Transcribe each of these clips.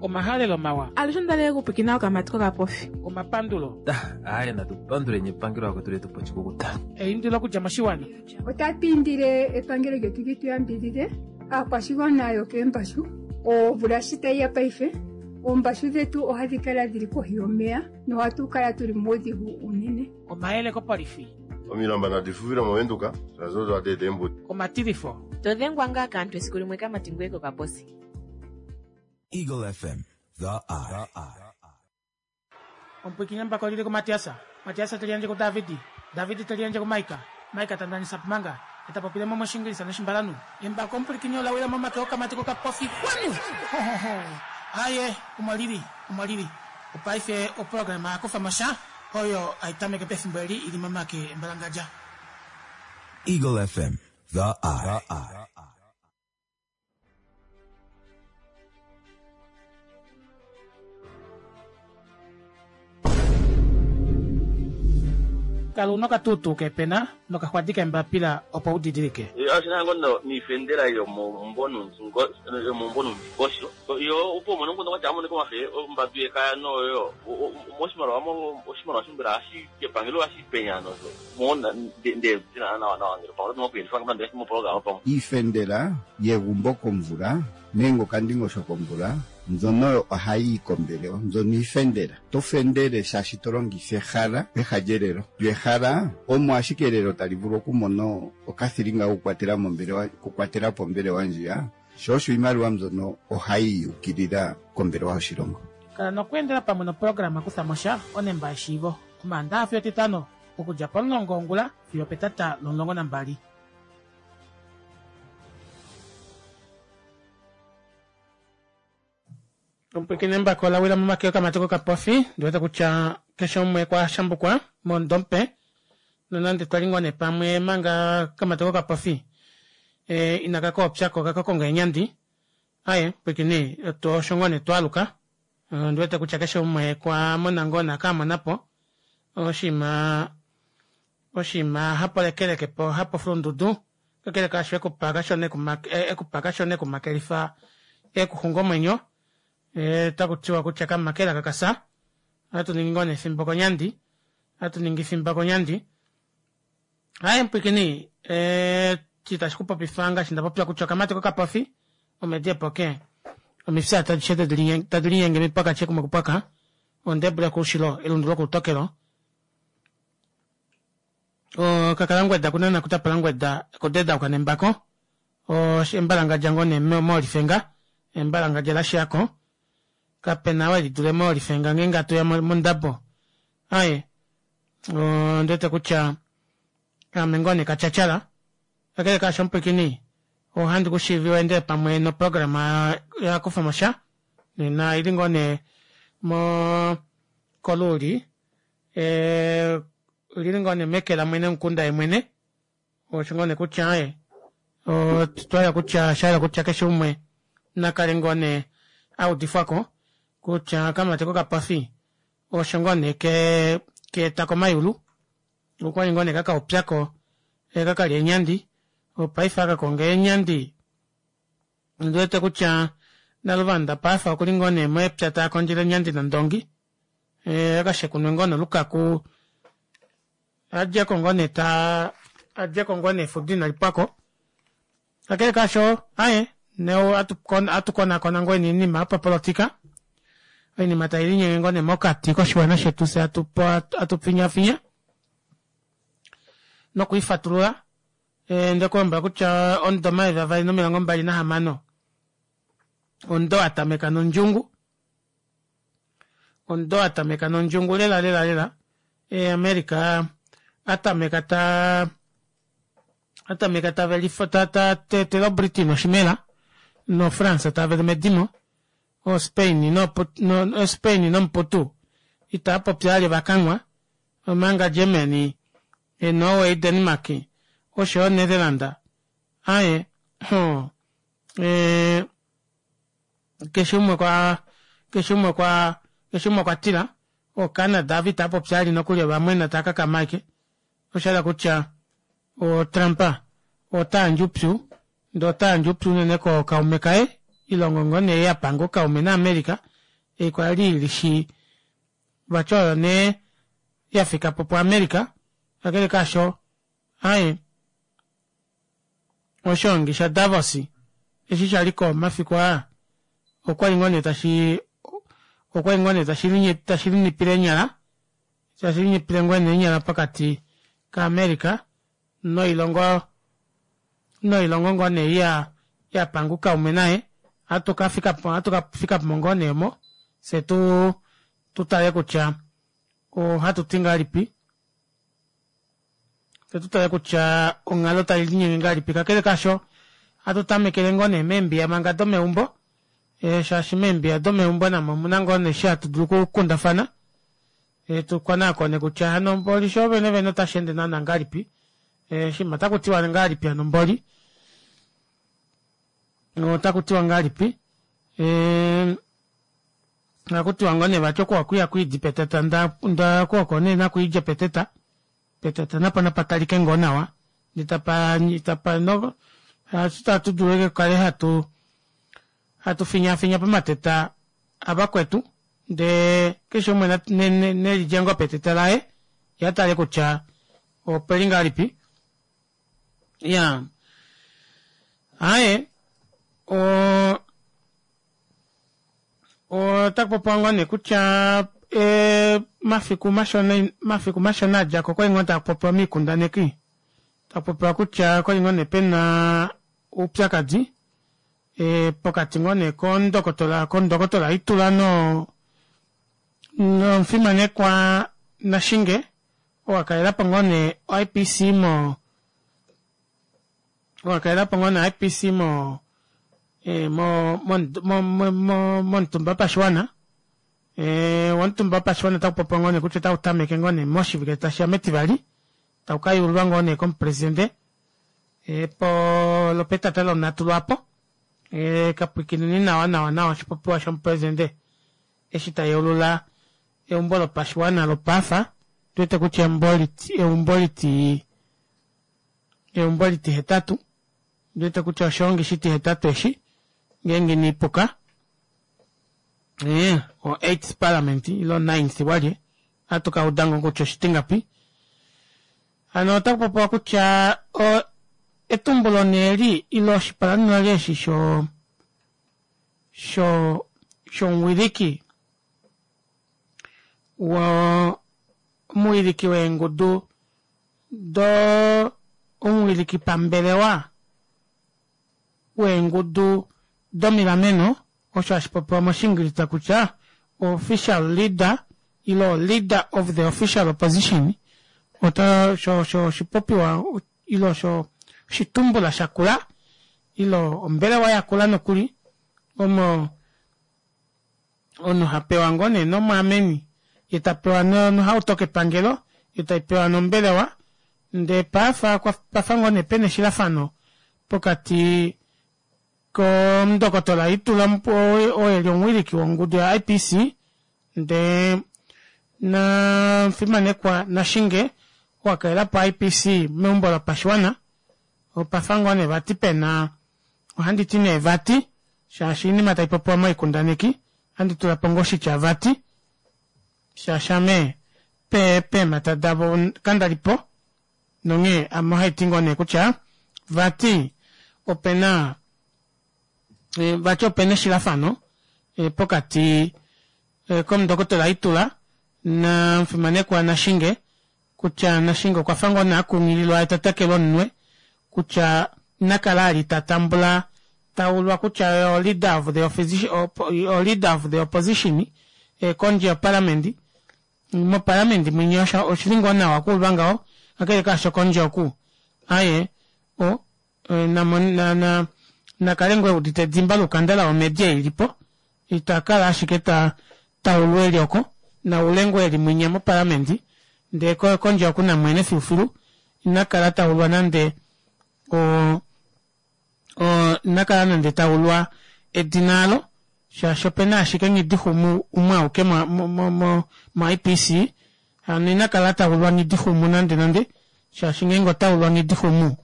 Omahalelo mawa. Alushe onda li okupwikina okamati kokapofi. Omapandulo. Aaye natu panduleni epangelo vakwetu letu pa oshikukuta. Eindilo okudja moshiwana. Otatu indile epangelo lyetu li tu yambidhidhe aakwashigwana yokeembashu. Omvula shi tayi ya paife, oombashu dhetu ohadhi kala dhili kohi yomeya nohatu kala tuli muudhigu uunene. Omayele kopolifi. Omilamba nadi fuvile mOvenduka, shaashi odo hadi eta eembudi. Omatilifo. To dhengwa ngaa kaantu esiku limwe kamati ngoye kokaposi. Eagle FM, the eye. Omupwiikini embako oli li kuMatias, Matias te liyandje kuDavid, David te liyandje kuMaika, Maika ta ndanisa Pumanga, e ta popile mo mOshiingilisa nOshimbalanhu. Embako omupwilikini ola wila momake okamati kokapofi. Xwanu! Ho, ho, ho! Aaye, omo li li, omo li li. Opaife oprograma ya kufa mo sha, oyo hai tameke pefimbo eli i li momake embalangadja. Eagle FM, the eye. Kala una okatuutuu keepena nokaxwadi keembapila opo u didilike. Oshi na ngo niifendela yomomumvo nuundingosho yo opo umone omukundu kwatya amonike omafe ombambi yekaya noyo moshimaliwa oshimaliwa shombela hashi kepangelo hashi penya nosho Iifendela yegumbo komvula nenge okandingosho komvula mbyono oyo ohayi yi kombelewa. Mbyono iifendela. Oto fendele shaashi to longitha ehala peha lyelelo. Lyo ehala omo ashike elelo tali vulu okumona okathilinga kokukwatela mombelewa, okukwatela po ombelewa ndjiya. Sho osho iimaliwa mbyono ohayi yi ukilila kombelewa yoshilongo. Kala nokweendela pamwe noprograma Kutha mo sha, onemba yeshiivo, Omaandaha fiyo Etitano, okudja pomulongo wongula fiyo opetata lomulongo nambali. Omupwikini embako ola wila momake okamati kokapofi, ndi wete kutya keshe umwe kwa shambukwa mondompe nonande twali ngoo nee pamwe manga kamati kokapofi e, inaka koopyako kaka konga eenyandi. Aye pwikini osho ngoo nee twaluka Ondi wete kutya keshe umwe kwa mona ngoo naka mona po oshinima oshinima hapo lekeleke po hapo fulundudu kakele kaasho ekupa kashona ekupa kashona ekumakelifa ekuxunga omwenyo otaku tiwa kutya kamakela kakasa ohatu ningi ngoo nee efimbo konyandi ohatu ningi efimbo konyandi Aye mpwikini eshi tashi ku popifa ngaashi nda popya kutya okamati kokapofi omedi epoke omifyata adishe tadi linyenge mipwaka kumwe kupwaka ondebule koushilo elundu lokoutokelo okakalangweda kunana kutapalangweda kodedauka nembako embalangadja ngoo nee moolifenga embalangadja lashiyako kapena we lidule moolifenga ngeenge atu ya mondabo aye Ondi wete kutya ame ngoo nee katyatyala. Kakele kaasho omupwiikini, ohandi ku shiivi u endele pamwe noprograma ya kufa mo sha. Nena oili ngoo nee mo koluuli, olili ngoo nee meke lamwene womukunda yemwene. Osho ngoo nee kutya aaye otwa kutya sha hala kutya keshe umwe na kale ngoo nee a udifwa ko kutya okamati kokapofi osho ngoo nee ke keeta komayulu okwali ngoo nee kakaupyako kakalya eenyandi opaife aka konga eenyandi ondi wete kutya naluvanda paife okuli ngoo nee mepya taa kondjele eenyandi nondongi akashekunwe ngoo nolukaku adjeko ngoo nee ta adjeko ngoo nee efudo inali pwako kakele kaasho aye neo atu konakona ngoo oinima yopapolotika oinima tai linyenge ngoo nee mokati koshiwana shetu fye atu finyafinya nokuifatulula nde ku lombwela kutya omudo 2026 omudo wa tameka nondjungu Omudo wa tameka nondjungu lela lela lela. E, America a tameka ta a tameka ta velifa ta ta tetele oBritain oshimela noFrance ta vele medimo oSpain no, no Spain nomuputu itaa popi ali vakanwa omanga Germany e, Norway Denmark osho yo Netherland aye ho e, keshe umwe kwa keshe umwe kwa keshe umwe okwa tila oCanada ava itava popi ali nokuli ovamwena tava kakama ashike osha hala kutya oTrump ota yandje upyu ndee ota yandje upyu unene kookaume kaye ilongo ngoo nee ya panga oukaume naAmerica. Ei kwali ilishi vati oyo nee yafikapo pu America kakele kaasho aaye oshoongi sha Davos eshi shaliko omafiku aa okwali ngoo nee tashi okwali ngoo nee tashi linipile eenyala tashi linipile ngoo nee eenyala pokati ka America noilongo noilongo ngoo nee ya yapanga oukaume naye ohatu kafikapo ohatu kafikapo ngoo nee omo fyee tu tutale kutya ohatu ti ngahelipi Fye tu tale kutya onghalo tai linyenge ngahelipi. Kakele kaasho, ohatu tamekele ngoo nee meembiya manga domeumbo, shaashi meembiya domeumbo namo omu na ngoo nee eshi hatu dulu okukundafana, tu konaakone kutya hano mboli sho vene vene otashi ende naana ngahelipi, oshinima otaku tiwa ngahelipi hano mboli, otaku tiwa ngahelipi. Ohaku tiwa ngoo nee vati oku hakuya kwiidi petata nda oku oko nee nakuidja peteta petata napo napa talike ngoo nawa ndee tapa tapa no ohatu tatu dulu ashike kukale hatu hatu finyafinya pomateta avakwetu ndee keshe umwe nelidje ngoo peteta laye ye atale kutya opeli ngahelipi iyaa aaye oo Otaku popiwa ngoo nee kutya mafiku mashona mafiku mashona adjako okwali ngoo taku popiwa miikundaneki taku popiwa kutya okwali ngoo nee pena oupyakadi pokati ngoo nee kondokotola kondokotola Itula no nomufimanekwa Nashinge oo akalelapo ngoo nee oIPC mo oo akalelapo ngoo nee IPC mo momutumba wopashiwana womutumba wopashiwana otaku popiwa ngoo nee kutya otau tameke ngoo nee moshivike tashiya metivali tau kayuululwa ngoo nee komupresidente po lopetata lonhatu lwaapo kapwikineni nawa nawa nawa oshipopiwa shomupresidente eshi ta yeulula eumbo lopashiwana lopaafa tuwete kutya eumbo liti eumbo litihetatu Ondi wete kutya oshoongi shitihetatu eshi, ngeenge ina ipuka. Ee, o eighth parliament, ile o ninth walye. Ohatu ka uda ngoo kutya oshitingapi. Hano otaku popiwa kutya o, etumbulo nee eli, ile oshipalanolali eshi sho, sho, shomuwiliki wo, omuwiliki weengudu do omuwiliki pambelewa weengudu domilameno, osho hashi popiwa mOshiingilisa kutya official leader ile leader of the official opposition, ota osho osho oshipopiwa ile osho oshitumbula shakula ile ombelewa yakula nokuli omo Omunhu ha pewa ngoo nee nomwaameni, ye ta pewa nohauto kepangelo, yo tai pewa nombelewa, ndee paafa pafa ngoo nee pena eshilafano pokati komundokotola Itula oo eli omuwiliki wongudu ya IPC ndee namufimanekwa Nashinge oo akalelapo IPC meumbo lopashiwana, opafa ngoo nee vati pena Ohandi ti nee vati, shaashi oinima tai popiwa moikundaneki, ohandi tula po ngoo oshitya vati, shaashi ame pe, peemhata davo kanda li po, nonghee ame ohai ti ngoo nee kutya vati ope na, vati ope na eshilafano pokati komundokotola Itula namufimanekwa Nashinge kutya Nashinge okwa fa ngoo nee a kunghililwa ye ta tekelwa omunwe kutya ina kala ali ta tambula ta ulwa kutya oye o leader of the o leader of the opposition kondje yoparliament. Moparliament mwinya oshili ngoo nawa okuulwa ngaho kakele kaasho kondje oku aye o na kale ngoo e udite edimba loukandala womedi ei ilipo ita kala ashike ta taulwa eli oko na ule ngoo eli mwinya moparliament ndee kondje oku na mwene filufilu ina kala taulwa nande o o ina kala nande taulwa edina alo shaashi opena ashike Nghidixumu umwe auke mo mo mo mo IPC hano ina kala taulwa Nghidixumu nande nande shaashi ngeenge ota ulwa Nghidixumu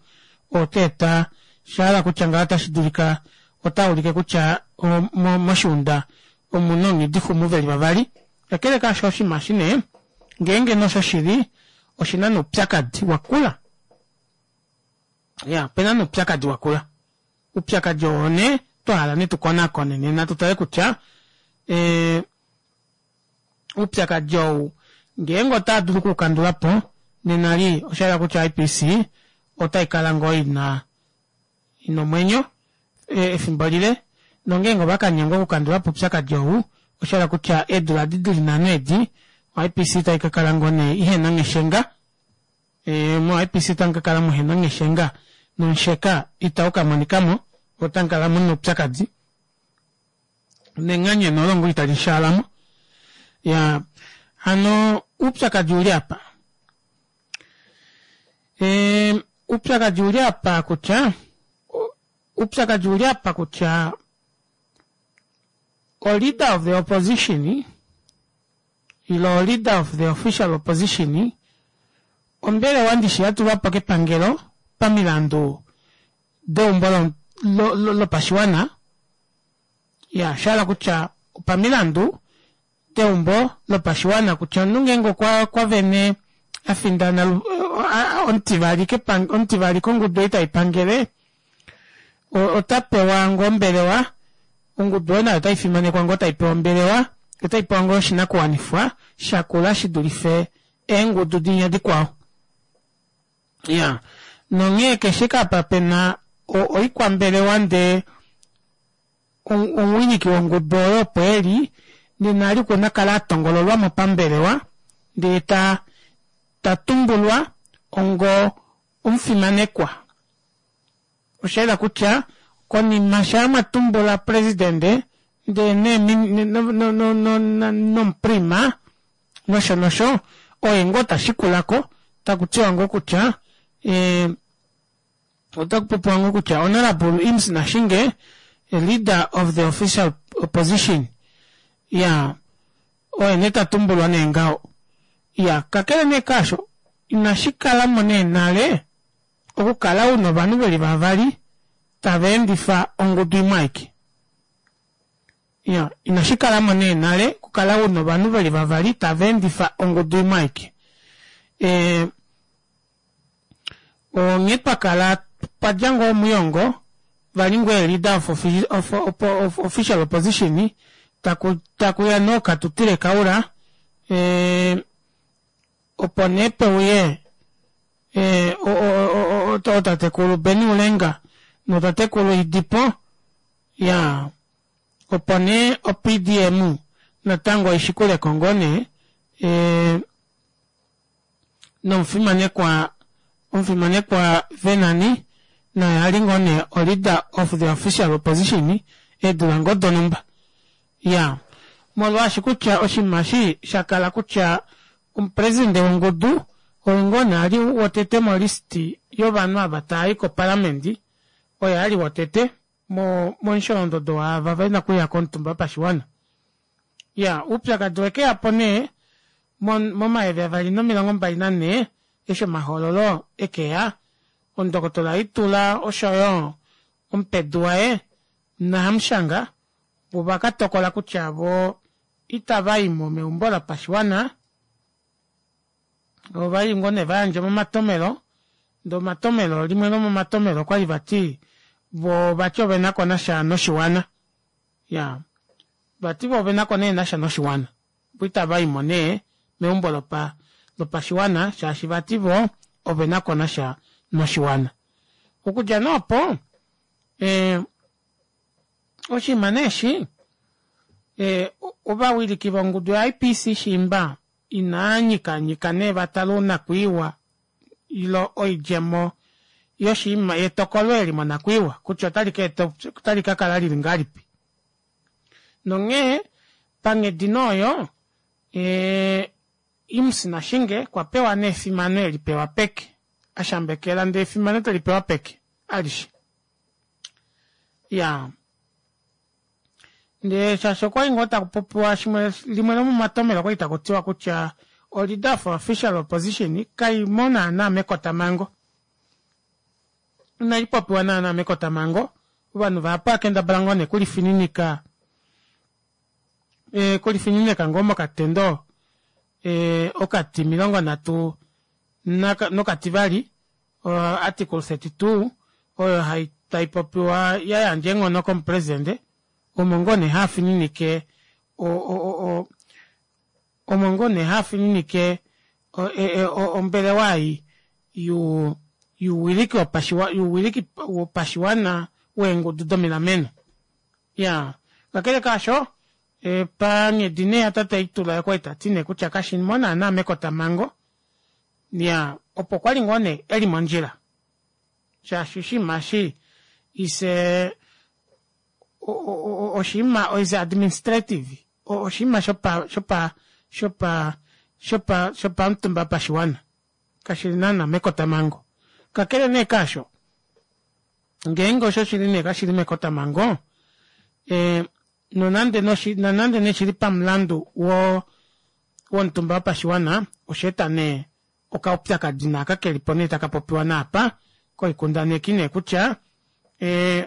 ota eta sha hala kutya ngaho otashi dulika ota ulike kutya moshiunda Omuna oNghidihumu veli vavali. Kakele kaasho oshinima eshi nee ngeenge nee oshoshili oshina nee oupyakadi wakula. Iya opena nee oupyakadi wakula. Oupyakadi oo nee twa hala nee tukonakone nena tutale kutya ee oupyakadi ou ngeenge otaa dulu okuukandula po nena li osha yela kutya IPC otai kala ngoo ina ina omwenyo efimbo lile nongeenge ova ka nyengwa okukandula po oupyakadi ou osha yela kutya eedula edi dili nhano edi oIPC otai ka kala ngoo nee ihena ngheshenga moIPC otamu ka kala muhena ngheshenga nomusheka itau ka monika mo otamu kala muna oupyakadi nenganyeno olo ngoo itali shaalamo ya hano oupyakadi ouli apa Oupyakadi ouli apa kutya oupyakadi ouli apa kutya o leader of the opposition ile o leader of the official opposition ombelewa ndishi ya tulwa po kepangelo pamilandu deumbo lopashiwana ya sha hala kutya opamilandu deumbo lopashiwana kutya omunhu ngeenge okwa vene a findana omutivali omutivali kongudu ei tai pangele ota pewa ngoo ombelewa ongudu oyo nayo otai fimanekwa ngoo tai pewa ombelewa otai pewa ngoo oshinakuwanifwa shakula shi dulife eengudu dinya dikwao ya nonghee keshe kapa pena oikwambelewa ndee omuwiliki wongudu oyo opo e li nena ali okuna kala a tongololwa mo pambelewa ndee ta ta tumbulwa ongo omufimanekwa. Osha yela kutya konima shaa mwa tumbula presidende ndee nee nomuprima nosho nosho oye ngoo ta shikula ko taku tiwa ngoo kutya Otaku popiwa ngoo kutya Honourable Imms Nashinge, a leader of the official opposition, ya oye nee ta tumbulwa nee ngaho. Ya kakele nee kaasho, inashi kala mo nee nale okukala u na ovanhu ve li vavali tava endifa ongudu imwe aike. Ya inashi kala mo nee nale okukala u na ovanhu ve li vavali tava endifa ongudu imwe aike. E, Onghee twa kala twa dja ngoo omuyongo vali ngoo leader of, of, of, of official opposition taku takuya nee Katuutire Kaura e, opo nee peuye e, ootatekulu Benny Ulenga notatekulu Hidipo ya opo nee oPDM natango ishikuleko ngoo nee e, nomufimanekwa omufimanekwa Venani naye ali ngoo nee o leader of the official opposition eedula ngoo donumba. Iyaa, molwaashi kutya oshinima eshi sha kala kutya omupresidente wongudu oye ngoo nee ali wotete mo list yovanhu ava tava i koparlament, oye ali wotete mo momusholondodo waava vena okuya komutumba wopashiwana. Iyaa, oupyakadi owe ke ya po nee momayovi 2024 eshi omahoololo e ke ya, omundokotola Itula osho yo omupedu waye naHamushanga ova ka tokola kutya vo itava i mo meumbo lopashiwana. Ova li ngoo nee va yandja omatomelo, ndee omatomelo limwe lomomatomelo okwa li vati vo vati ove na ko nasha noshiwana. Ya, vati vo ove na ko nee nasha noshiwana. Vo itava i mo nee meumbo lopa lopashiwana shaashi vati vo ove na ko nasha noshiwana. Okudja nee opo eh, oshinima nee eshi eh, ovawiliki vongudu yaIPC shiimba inaa nyikanyika nee va tale onakwiiwa ilo oidjemo yoshinima yetokolo eli monakwiiwa kutya otali ka eta otali ka kala lili ngahelipi. Nonghee panghedi nee oyo ee Imms Nashinge okwa pewa nee efimano eli pewa peke, a shambekela ndee efimano teli pewa peke alishe. Iyaa. Ndee shaashi okwali ngoo taku popiwa shimwe limwe lomomatomelo okwali taku tiwa kutya o leader for official opposition kai mo naana mekotamhango. Inali popiwa naana mekotamhango. Ovanhu vahapu ova kendabala ngoo nee okulifininika. Kulifinineka ngoo mokatendo okati 30 nokativali article 32 oyo hai taipopiwa yayandja eenghono komupresidente omo ngoo nee hafininike omo ngoo nee hafininike ombelewa ei youwiliki wopashiwana weengudu domilameno. Iyaa kakele kaasho panghedi nee yatate Itula okwali tati nee kutya kashilimo naana mekotamango iyaa opo kwali ngoo nee eli mondjila shaashi oshinima eshi is oshinima is administrative oshinima shopa shopa shopa shopa shopamutumba wopashiwana kashili naana mekotamango kakele nee kaasho ngeenge osho shili nee kashili mekotamango nonande nonande nee shili pamulandu wo womutumba wopashiwana osha eta nee okaupyakadi naaka kelipo nee taka popiwa naapa koikundaneki nee kutya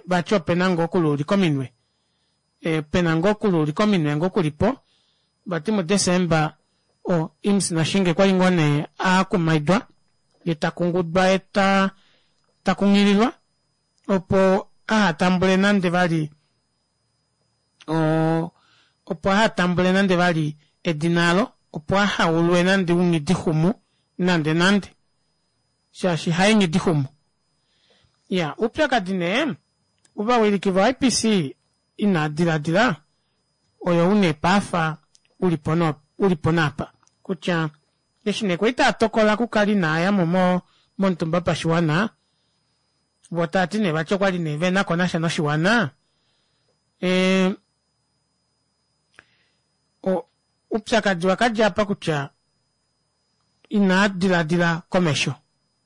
vati opena ngoo okuluulika ominwe pena ngoo okuluulika ominwe ngoo kulipo vati muDesemba o Imms Nashinge okwali ngoo nee akumaidwa yee takungudwa yee takunghililwa opo ahatambule nande vali opo ahatambule nande vali edina alo opo ahaulwe nande unghidixumu nande nande shaashi haye nghidixumu. Iya oupyakadi nee ovawiliki vo IPC inaa diladila oyo une paafa ulipo ulipo naapa kutya eshi nee kwali taa tokola okukala inaayamo mo momutumba wopashiwana voo taati nee vati okwali nee venako nasha noshiwana oupyakadi wakadja apa kutya inaa diladila komesho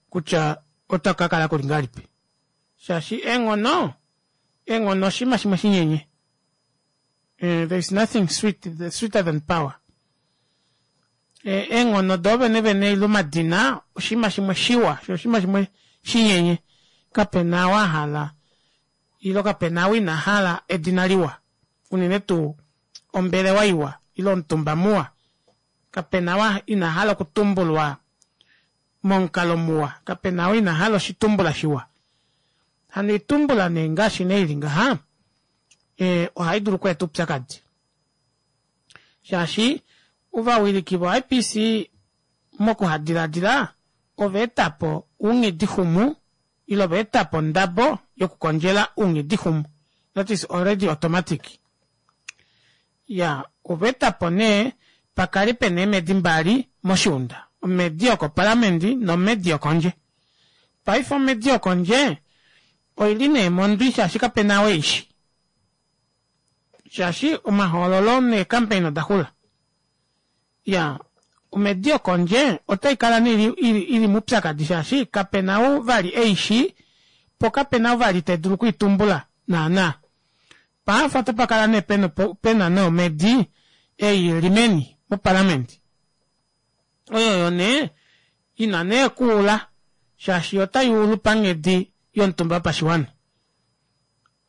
kutya otaku kakala kuli ngahelipi shaashi eenghono eenghono oshinima shimwe shinyenye there is nothing sweet sweeter than power eenghono doo vene vene ile omadina oshinima shimwe shiwa sho oshinima shimwe shinyenye kapena ou ahala ile kapena ou ina hala edina liwa unene tuu ombelewa iwa ile omutumba muwa kapena ou ina hala okutumbulwa momukalo muwa kapena ou ina hala oshitumbula shiwa hano oitumbula nee ngaashi nee ili ngaha ohai dulu okweeta oupyakadi shaashi ovawiliki vo IPC mokuhadiladila ova etapo ounghidixumu ile ova etapo ondabo yokukondjela ounghidixumu that is already automatic ya ova etapo nee pakale pena eemedi mbali moshiunda omedi yokopalamende nomedi yokondje paife omedi yokondje oili nee mondwi shaashi kapena ou eishi shaashi omahoololo neecampaign oda xula ya omedi yokondje otai kala nee ili moupyakadi shaashi kapena ou vali eishi po kapena ou vali tadulu okuitumbula naana paife otapakala nee pena nee omedi ei ili meni moparliament oyo yo nee ina nee kuula shaashi otai ulu panghedi yomutumba wopashiwana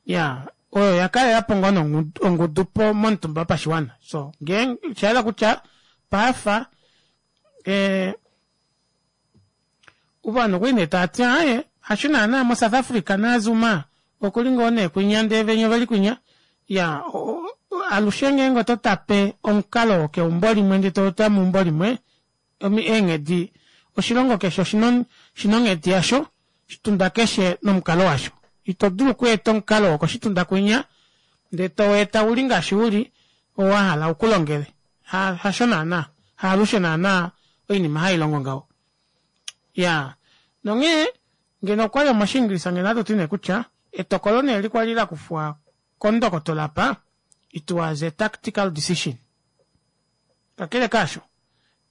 ya oyo yakalelapo ngoo ongudu po momutumba wopashiwana so ngeenge oshayela kutya paafa ovanhu okwali nee taati aaye hasho naana mo South Africa naZuma okuli ngoo nee kwinya ndee venya oveli kwinya ya alushe ngeenge oto tape omukalo wokeumbo limwe ndee toutula meumbo limwe eenghedi oshilongo keshe oshina onghedi yasho oshitunda keshe nomukalo washo ito dulu okweeta omukalo wokoshitunda kwinya ndee toweeta uli ngaashi uli oo wahala ukulongele hasho naana haalushe naana oinima hailongo ngaho ya nonghee ngeno okwali omoshiingilisa ngeno ohatu ti nee kutya etokolo nee eli kwali lakufwa kondokotola apa it was a tactical decision kakele kaasho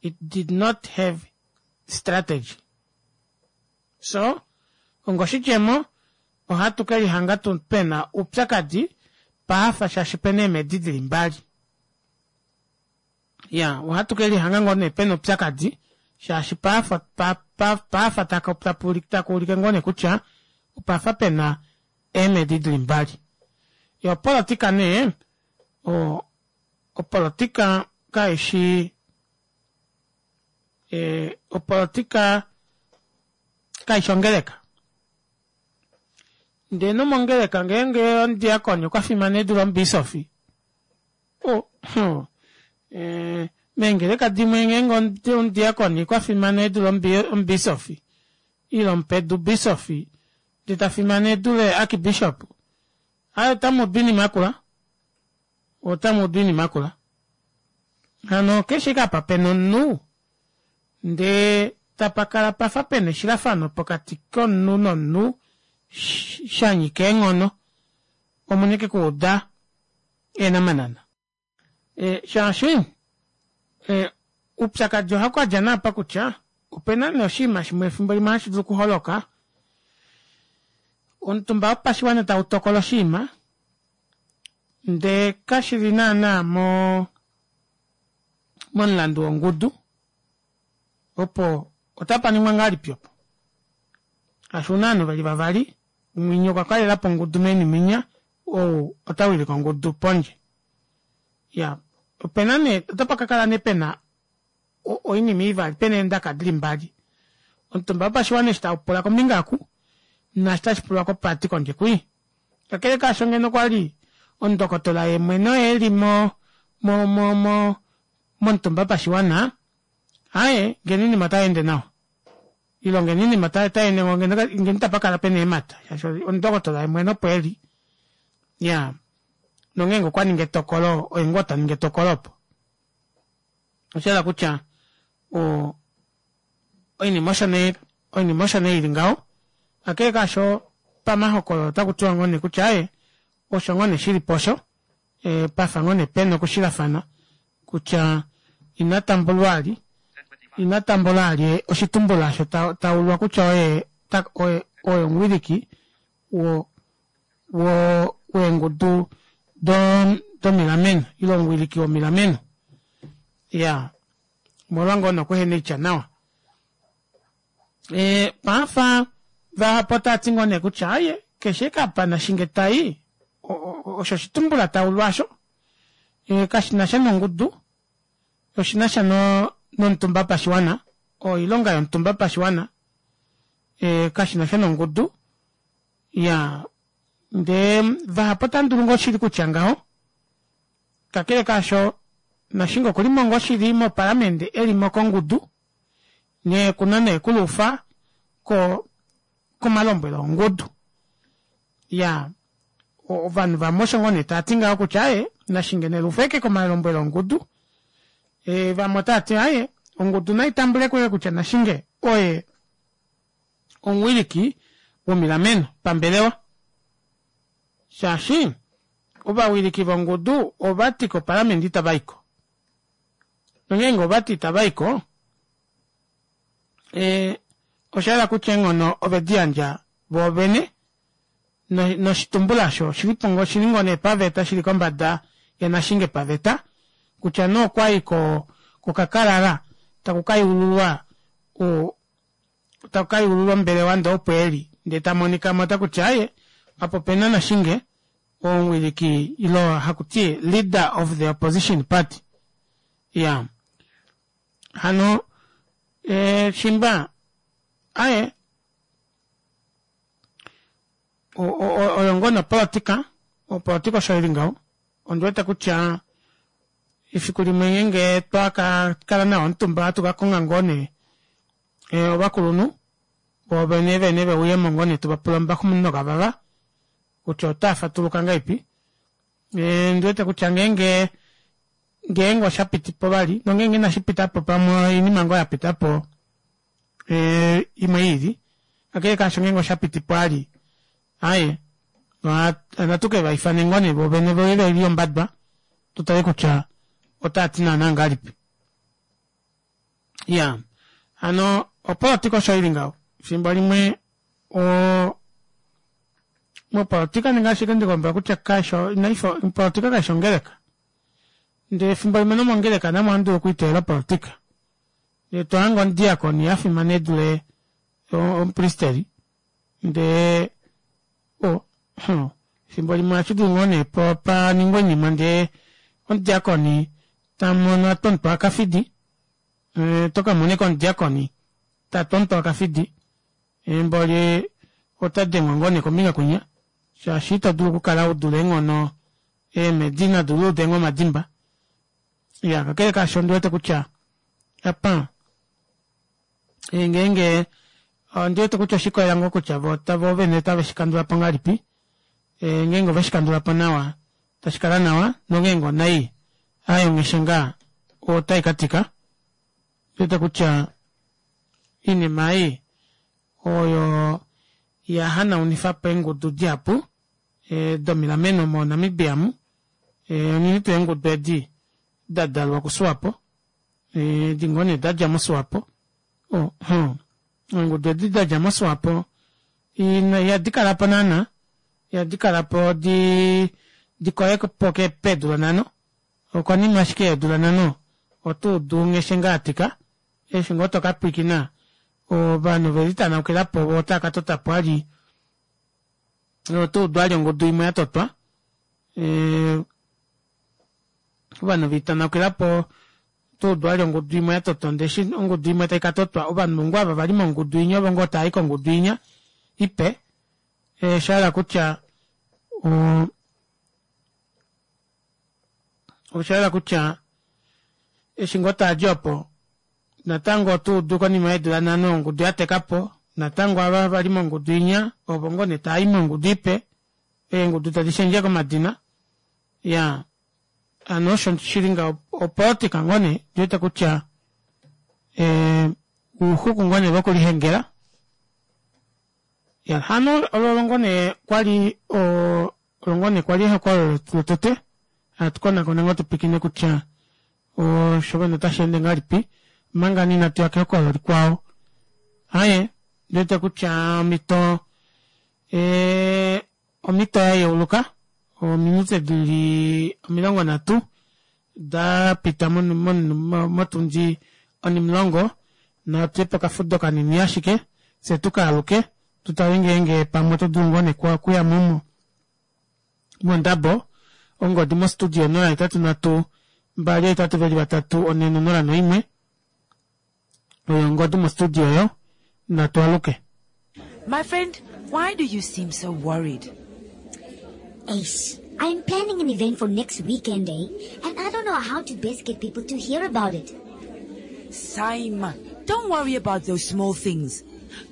it did not have strategy so ongoshidjemo ohatu kelihanga pena oupyakadi paafa shaashi pena eemedi dili mbali ya ohatu kelihanga ngoo nee pena oupyakadi shaashi paafa paafa takuulike ngoo nee kutya opafa pena eemedi dili mbali yo opolitika nee. Opolotika kaishi e, opolotika kaishi ongeleka. Ndee nomongeleka ngeenge omudiakoni okwa fimana e dule omubiisofi, o, e, meengeleka dimwe ngeenge omudiakoni okwa fimana e dule omubiisofi ile omupedu biisofi ndee ta fimana e dule archbishop, aye otamu udu oinima yakula. Otamu udu oinima yakula. Hano keshe apa pena omunhu ndee tapa kala pafa pena eshilafano pokati komunhu nomunhu sha nyika eenghono, omuna ashike okuuda eenamanana. E, shaashi e, oupyakadi ohau ka dja naapa kutya opena nee oshinima shimwe efimbo limwe hashi dulu okuholoka, omutumba wopashiwana tau tokola oshinima ndee kashi li naana mo momulandu wongudu opo otapa ningwa ngahelipi opo? Shaashi una ovanhu veli vavali, mwinya okwa kalelapo ongudu meni mwinya ou ota wilike ongudu pondje. Ya, opena nee otapa ka kala nee pena oinima ivali, pena eendaka dili mbali. Omutumba wopashiwana eshi tau pula kombinga oku naashi tashi pulwa koparty kondje kwii. Kakele kaasho ngeno okwa li omundokotola ye mwene oye e li mo, mo, mo, mo, momutumba wopashiwana, aaye, ngeno oinima otai ende nawa. Ile ngeno oinima otai ende ngoo, ngeno, ngeno itapa kala pena eemhata, shaashi omundokotola ye mwene opo e li. Iya. Nongeenge okwa ningi etokolo, oye ngoo ta ningi etokolo opo. Osha yela kutya o, oinima osho nee oinima osho nee ili ngaho. Kakele kaasho pamahokololo otaku tiwa ngoo nee kutya aaye osho ngoo nee shili po osho e, pafa ngoo nee pena okushilafana kutya ina tambulwa ali ina tambula ali oshitumbula osho ta, taulwa kutya oye ta, oye oye omuwiliki wo wo weengudu do domilameno ile omuwiliki womilameno ya omolwa ngoo nokuhena oitya nawa. E, pafa vahapu otava ti ngoo nee kutya aye keshe kapa Nashinge tai osho oshitumbula taulwa osho e, kashi na sha nongudu oshi na sha no, nomutumba pashiwana oilonga yomutumba pashiwana e, kashi na sha nongudu ya ndee vahapu otava dulu ngoo shili kutya ngaho Kakele kaasho, Nashinge okuli mo ngoo shili mopalamende e li mo kongudu, nghee ku na nee kuluufa ko komalombwelo ongudu. Ya, ovanhu vamwe osho ngoo nee tava ti ngaho kutya aaye, Nashinge ne luufe ashike komalombwelo ongudu. E, vamwe otava ti aaye, ongudu nai tambule ko kutya Nashinge oye omuwiliki womilameno pambelewa. Shaashi ovawiliki vongudu ova ti kopalamende itava i ko. Nongeenge ova ti itava i ko, e, osha yela kutya eenghono ove di yandja voovene, noshitumbula osho oshili po ngoo, oshili ngoo nee paveta, shili kombada yaNashinge paveta, kutya nee okwa i ko, kokakalala taku ka yululwa o, taku ka yululwa ombelewa ndee opo e li, ndee ta monika mo otaku ti aaye, apa ope na Nashinge, omuwiliki ile haku ti leader of the opposition party. Ya. Hano, e, shimba, aye, oyo ngoo nopolotika, opolotika osho ili ngaho. Ondi wete kutya efiku limwe ngeenge twa ka kala nawa omutumba ohatu ka konga ngoo nee eh, ovakulunhu vovene vene ve uye mo ngoo nee tu va pula ombaxumunino kavava kutya otaa fatuluka ngahelipi. Eh, ndi wete kutya ngeenge ngeenge osha piti po vali nongeenge inashi pita po pamwe oinima ngoo ya pita po eh, imwe i ili kakele kaasho ngeenge osha piti po ali aye natu ke va ifane ngoo nee vovene voye ve li ombadwa tu tale kutya otaa ti naanaa ngahelipi. Ya hano opolotika osho ili ngaho fimbo limwe o mopolotika ninga ashike ndikombela kutya kaisho inaifa opolotika kaishi ongeleka ndele efimbo limwe nomongeleka namo ohamu dulu okwiiteyela opolotika ndele to hange omudiakoni a fimana e dule omupristeli ndee o fimbo limwe ohashi dulu ngoo nee pa ningwe oinima ndee omudiakoni Tamono a tontwa akafidi to ka mona omudiakoni ta tontwa akafidi mboli ota dengwa ngoo nee kombinga kwinya shaashi ito dulu okukala u dule eenghono eemhedi inadi luuda ngoo omadimba. Iya kakele kaasho ondi wete kutya apa ngeenge ondi wete kutya oshikolela ngoo kutya vo vo vene otave shi kandula po ngahelipi ngeenge ove shi kandula po nawa tashi kala nawa nongeenge onai aaye ongheshe ngaa otai ka tika. Ondi wete kutya oinima ei oyo ya hanaunifa po eengudu dihapu domilameno moNamibia mu, unene tuu eengudu edi da dalwa kuSwapo, edi ngoo nee da dja moSwapo, eengudu edi da dja moSwapo ihadi kala po naana, ihadi kala po di di koye po peedula nhano, okonima ashike yeedula nhano oto udu ngheshe ngaa atika, eshi ngoo toka pwiikina ovanhu oveli tanaukilapo voo otava ka tota po vali oto udu vali ongudu imwe yatotwa ovanhu veitanaukila po oto udu vali ongudu imwe yatotwa ndee eshi ongudu imwe taika totwa ovanhu ngoo ava vali mongudu inya ovo ngoo taayi kongudu inya ipe oshahala kutya oshahala kutya eshi ngoo taadi opo natango oto udu konima yeedula nhano ongudu yatekapo natango ava vali mongudu inya ovo ngoo nee taayi mongudu ipe eengudu tadi shendje komadina iyaa hano osho shili ngaho opolitika ngoo nee ndiwete kutya ouxuku ngoo nee vokulihengela ya hano olo ngoo nee kwali olo ngoo nee kwali ehokololo lotete hatu konakona ngoo tupikine kutya osho vene otashi ende ngahelipi omanga nee inatu ya kehokololo likwao aaye ndiwete kutya omhito omhito ya yeuluka ominute dili 30 da pita motundi onimulongo natuye pokafudo kanini ashike fye tukaaluke tutale ngeenge pamwe oto dulu ngoo nee okuyamo mondabo ongodi mo studio 083 2 8 4 0 1 oyo ongodi mo studio oyo natu aluke. My friend, why do you seem so worried? Ace, I'm planning an event for next weekend, eh? And I don't know how to best get people to hear about it. Saima, don't worry about those small things.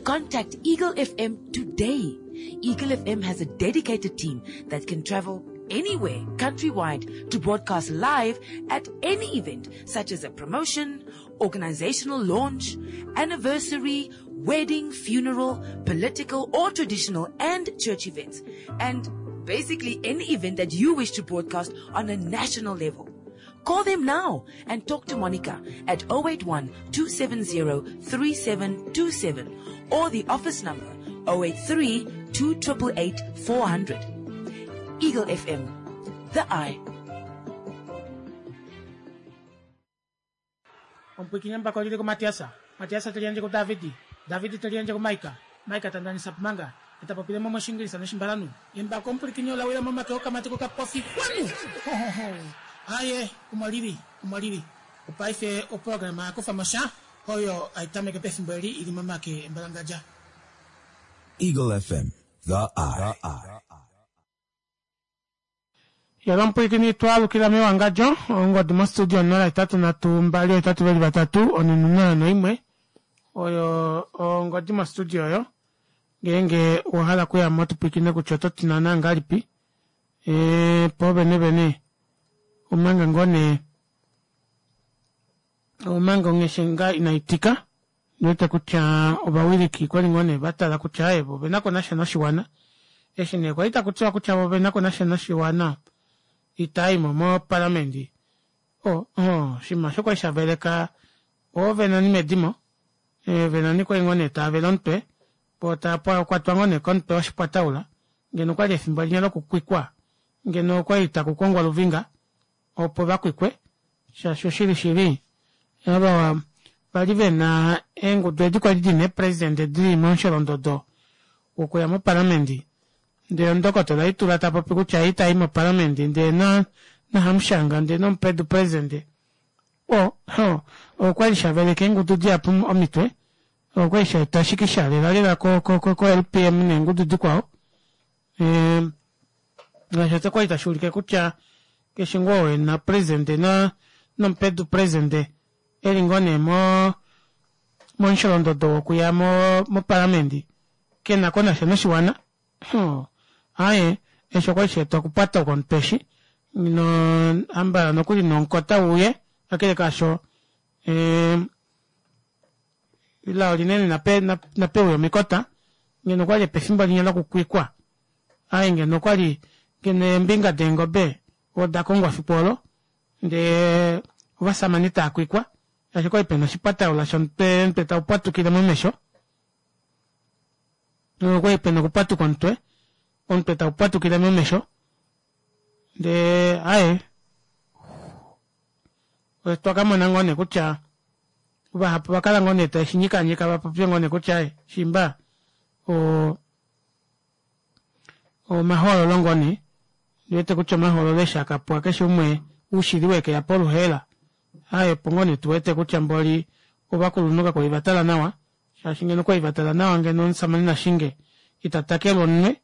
Contact Eagle FM today. Eagle FM has a dedicated team that can travel anywhere countrywide to broadcast live at any event, such as a promotion, organizational launch, anniversary, wedding, funeral, political or traditional and church events, and basically any event that you wish to broadcast on a national level. Call them now and talk to Monica at 081-270-3727 or the office number 083-2888-400. Eagle FM, the eye. Omupwiikini embako olili kuMatiasa, Matiasa te liyandje kuDavidi, Davidi te liyandje kuMaika, Maika ta ndanisa Pumanga, ye ta popile mo mOshingilisa nOshimbalanhu. Embako omupwilikini ola wila momake okamati kokapofi kwanu! Hohoho! Aaye, omo lili, omo lili. Opaife oprograma ya kufa mo sha oyo hai tameke pefimbo eli i li momake embalangadja. Eagle FM, the eye. Yala omupwilikini twaalukila mewangadjo ongodi mostudio 083 2 8 4 0 1 oyo ongodi mostudio oyo ngeenge owa hala okuya mo tupwilikine kutya oto ti naana ngahelipi e, po vene vene omanga ngoo nee omanga ongheshe ngaa inai tika Ndiwete kutya ovawiliki kwali ngoo nee va tala kutya aaye vo ovena ko nasha noshiwana. Eshi nee kwali taku tiwa kutya vo ovena ko nasha noshiwana itava i mo mopalamende o oh, oshinima osho kwali sha veleka oove nani medimo ove nani kwali ngoo nee tava vele omutwe voo tava kwatwa ngoo nee komutwe woshipwataula ngeno okwali efimbo linya lokukwikwa ngeno okwali taku kongwa luvinga opo va kwikwe shaashi oshili shili ava vali ve na eengudu edi kwali di na eepresidente di li momusholondodo wokuya mopalamende ndee omundokotola Itula ta popi kutya ye itayi mopalamende ndee na nahamushanga ndee nomupedu presidente. O, ho, okwali sha veleka eengudu dihapu omitwe, okwali sha eta shikisha lela lela ko, ko, ko, ko LPM neengudu dikwao. E, ngaashi ota kwali tashi ulike kutya keshe ngoo oo ena presidente na nomupedu presidente eli ngoo nee mo momusholondodo wokuya mo mopalamende kena ko nasha noshiwana. Huh. Aaye, eshi okwali sha eta okupata komutwe eshi no ambala nokuli nomukota uye kakele kaasho eh, lao linene nape nape uye omikota ngeno okwali pefimbo linya lokukwikwa aye ngeno okwali ngeno eembinga deengobe oda kongwa fiku olo ndee ovasamane taa kwikwa shaashi okwali pena oshipataula shomutwe omutwe tau pwatukile momesho okwali pena okupwatuka omutwe omutwe tau pwatukile momesho ndee aye otwa ka mona ngoo nee kutya vahapu va kala ngoo nee taye shi nyikanyika va popye ngoo nee kutya aye shimba o omahoololo ngoo nee ndi wete kutya omahoololo eshi a ka pwa keshe umwe oushili weke ya poluheela aye opo ngoo nee tu wete kutya mboli ovakulunhu kakwali va tala nawa shaashi ngeno okwali va tala nawa ngeno omusamane Nashinge ita takelwa omunwe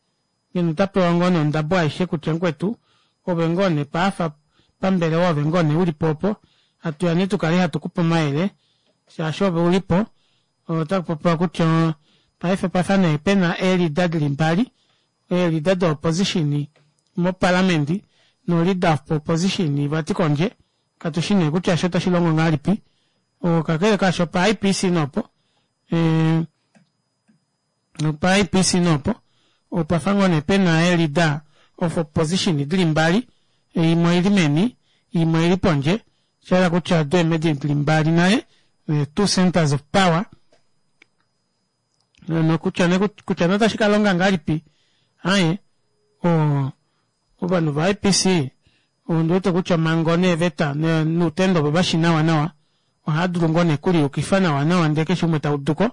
ngeno ota pewa ngoo nee ondabo aishe kutya mukwetu ove ngoo nee paafa pambelewa ove ngoo nee ulipo opo hatuya nee tukale hatu kupe omayele shaashi ove ulipo Otaku popiwa kutya paife opa fa nee pe na eelida di li mbali, eelida do-opposition mopalamende no-leader of opposition vati kondje. Katu shi nee kutya eshi otashi longo ngahelipi. Kakele kaasho pa IPC nopo opa IPC nopo opa fa ngoo nee pe na eelida of opposition di li mbali, imwe oi li meni, imwe oi li pondje. Osha yela kutya odo eemhedi di li mbali nale, the two centers of power, nokutya ne kutya ne otashi ka longa ngahelipi, aaye, o, ovanhu va IPC ondi wete kutya omhango neeveta noutendo ovo vashi nawa nawa ohava dulu ngoo nee okuliyukifa nawa nawa ndee keshe umwe ta uduko,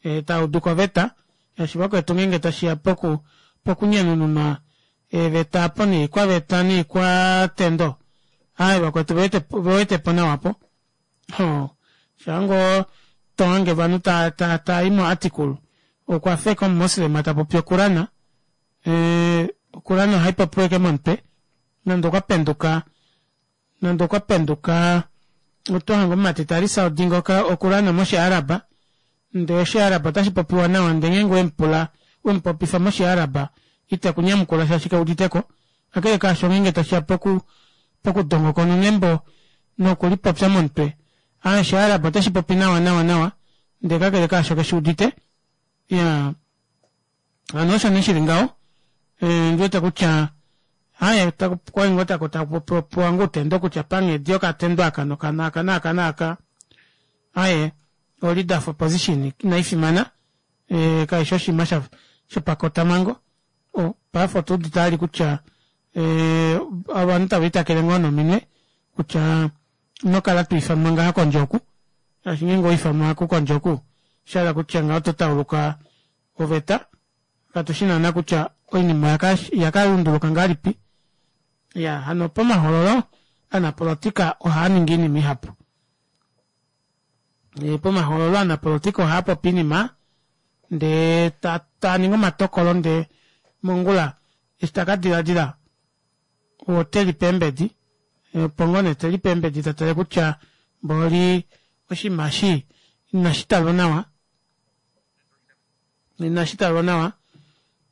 e, ta uduko oveta, shaashi vakwetu ngeenge tashi ya poku pokunyanununwa eeveta apo noikwaveta noikwatendo aaye vakwetu vewete po nawa po ho shaa ngoo to hange ovanhu ta ta ta i moarticle okwa feka omumoslema ta popi okurana eh, okurana ohai popiwa eke momutwe nande okwa penduka Nande okwa penduka oto hange omumati ta lisa odinga okurana moshiaraba ndee oshiaraba otashi popiwa nawa ndee ngeenge wemupula wemupopifa moshiaraba ite ku nyamukula shaashi ke uditeko. Kakele kaasho ngeenge tashiya poku pokudongokonona embo nokulipopya momutwe aa oshiaraba oteshi popi nawa nawa nawa ndee kakele kaasho keshi udite. Iyaa. Hano osho nee shili ngaho eh, ndi wete kutya haye kwali ngoo taku taku popiwa ngoo utendo kutya panghedi yokatendo aka nokana aka naaka naaka aye o leader of opposition inai fimana eh, kaishi oshinima sha shopakotamhango o paife otu udite ali kutya eh, ovanhu tava itakele ngoo nominwe kutya ino kala to ifanwa ngaha kondje oku shaashi ngeenge owa ifanwa kondje oku osha hala kutya ngaho oto tauluka oveta katu shi naana kutya oinima oya ka lunduluka ngahelipi. Ya hano pomahoololo aanapolotika ohaa ningi iinima ihapu. E, pomahoololo aanapolotika ohaa popi iinima ndee taa ningi omatokolo ndee mongula eshi ta ka diladila ote lipe eembedi opo ngoo nee te lipe eembedi ta tale kutya mboli oshinima eshi inashi talwa nawa Inashi talwa nawa.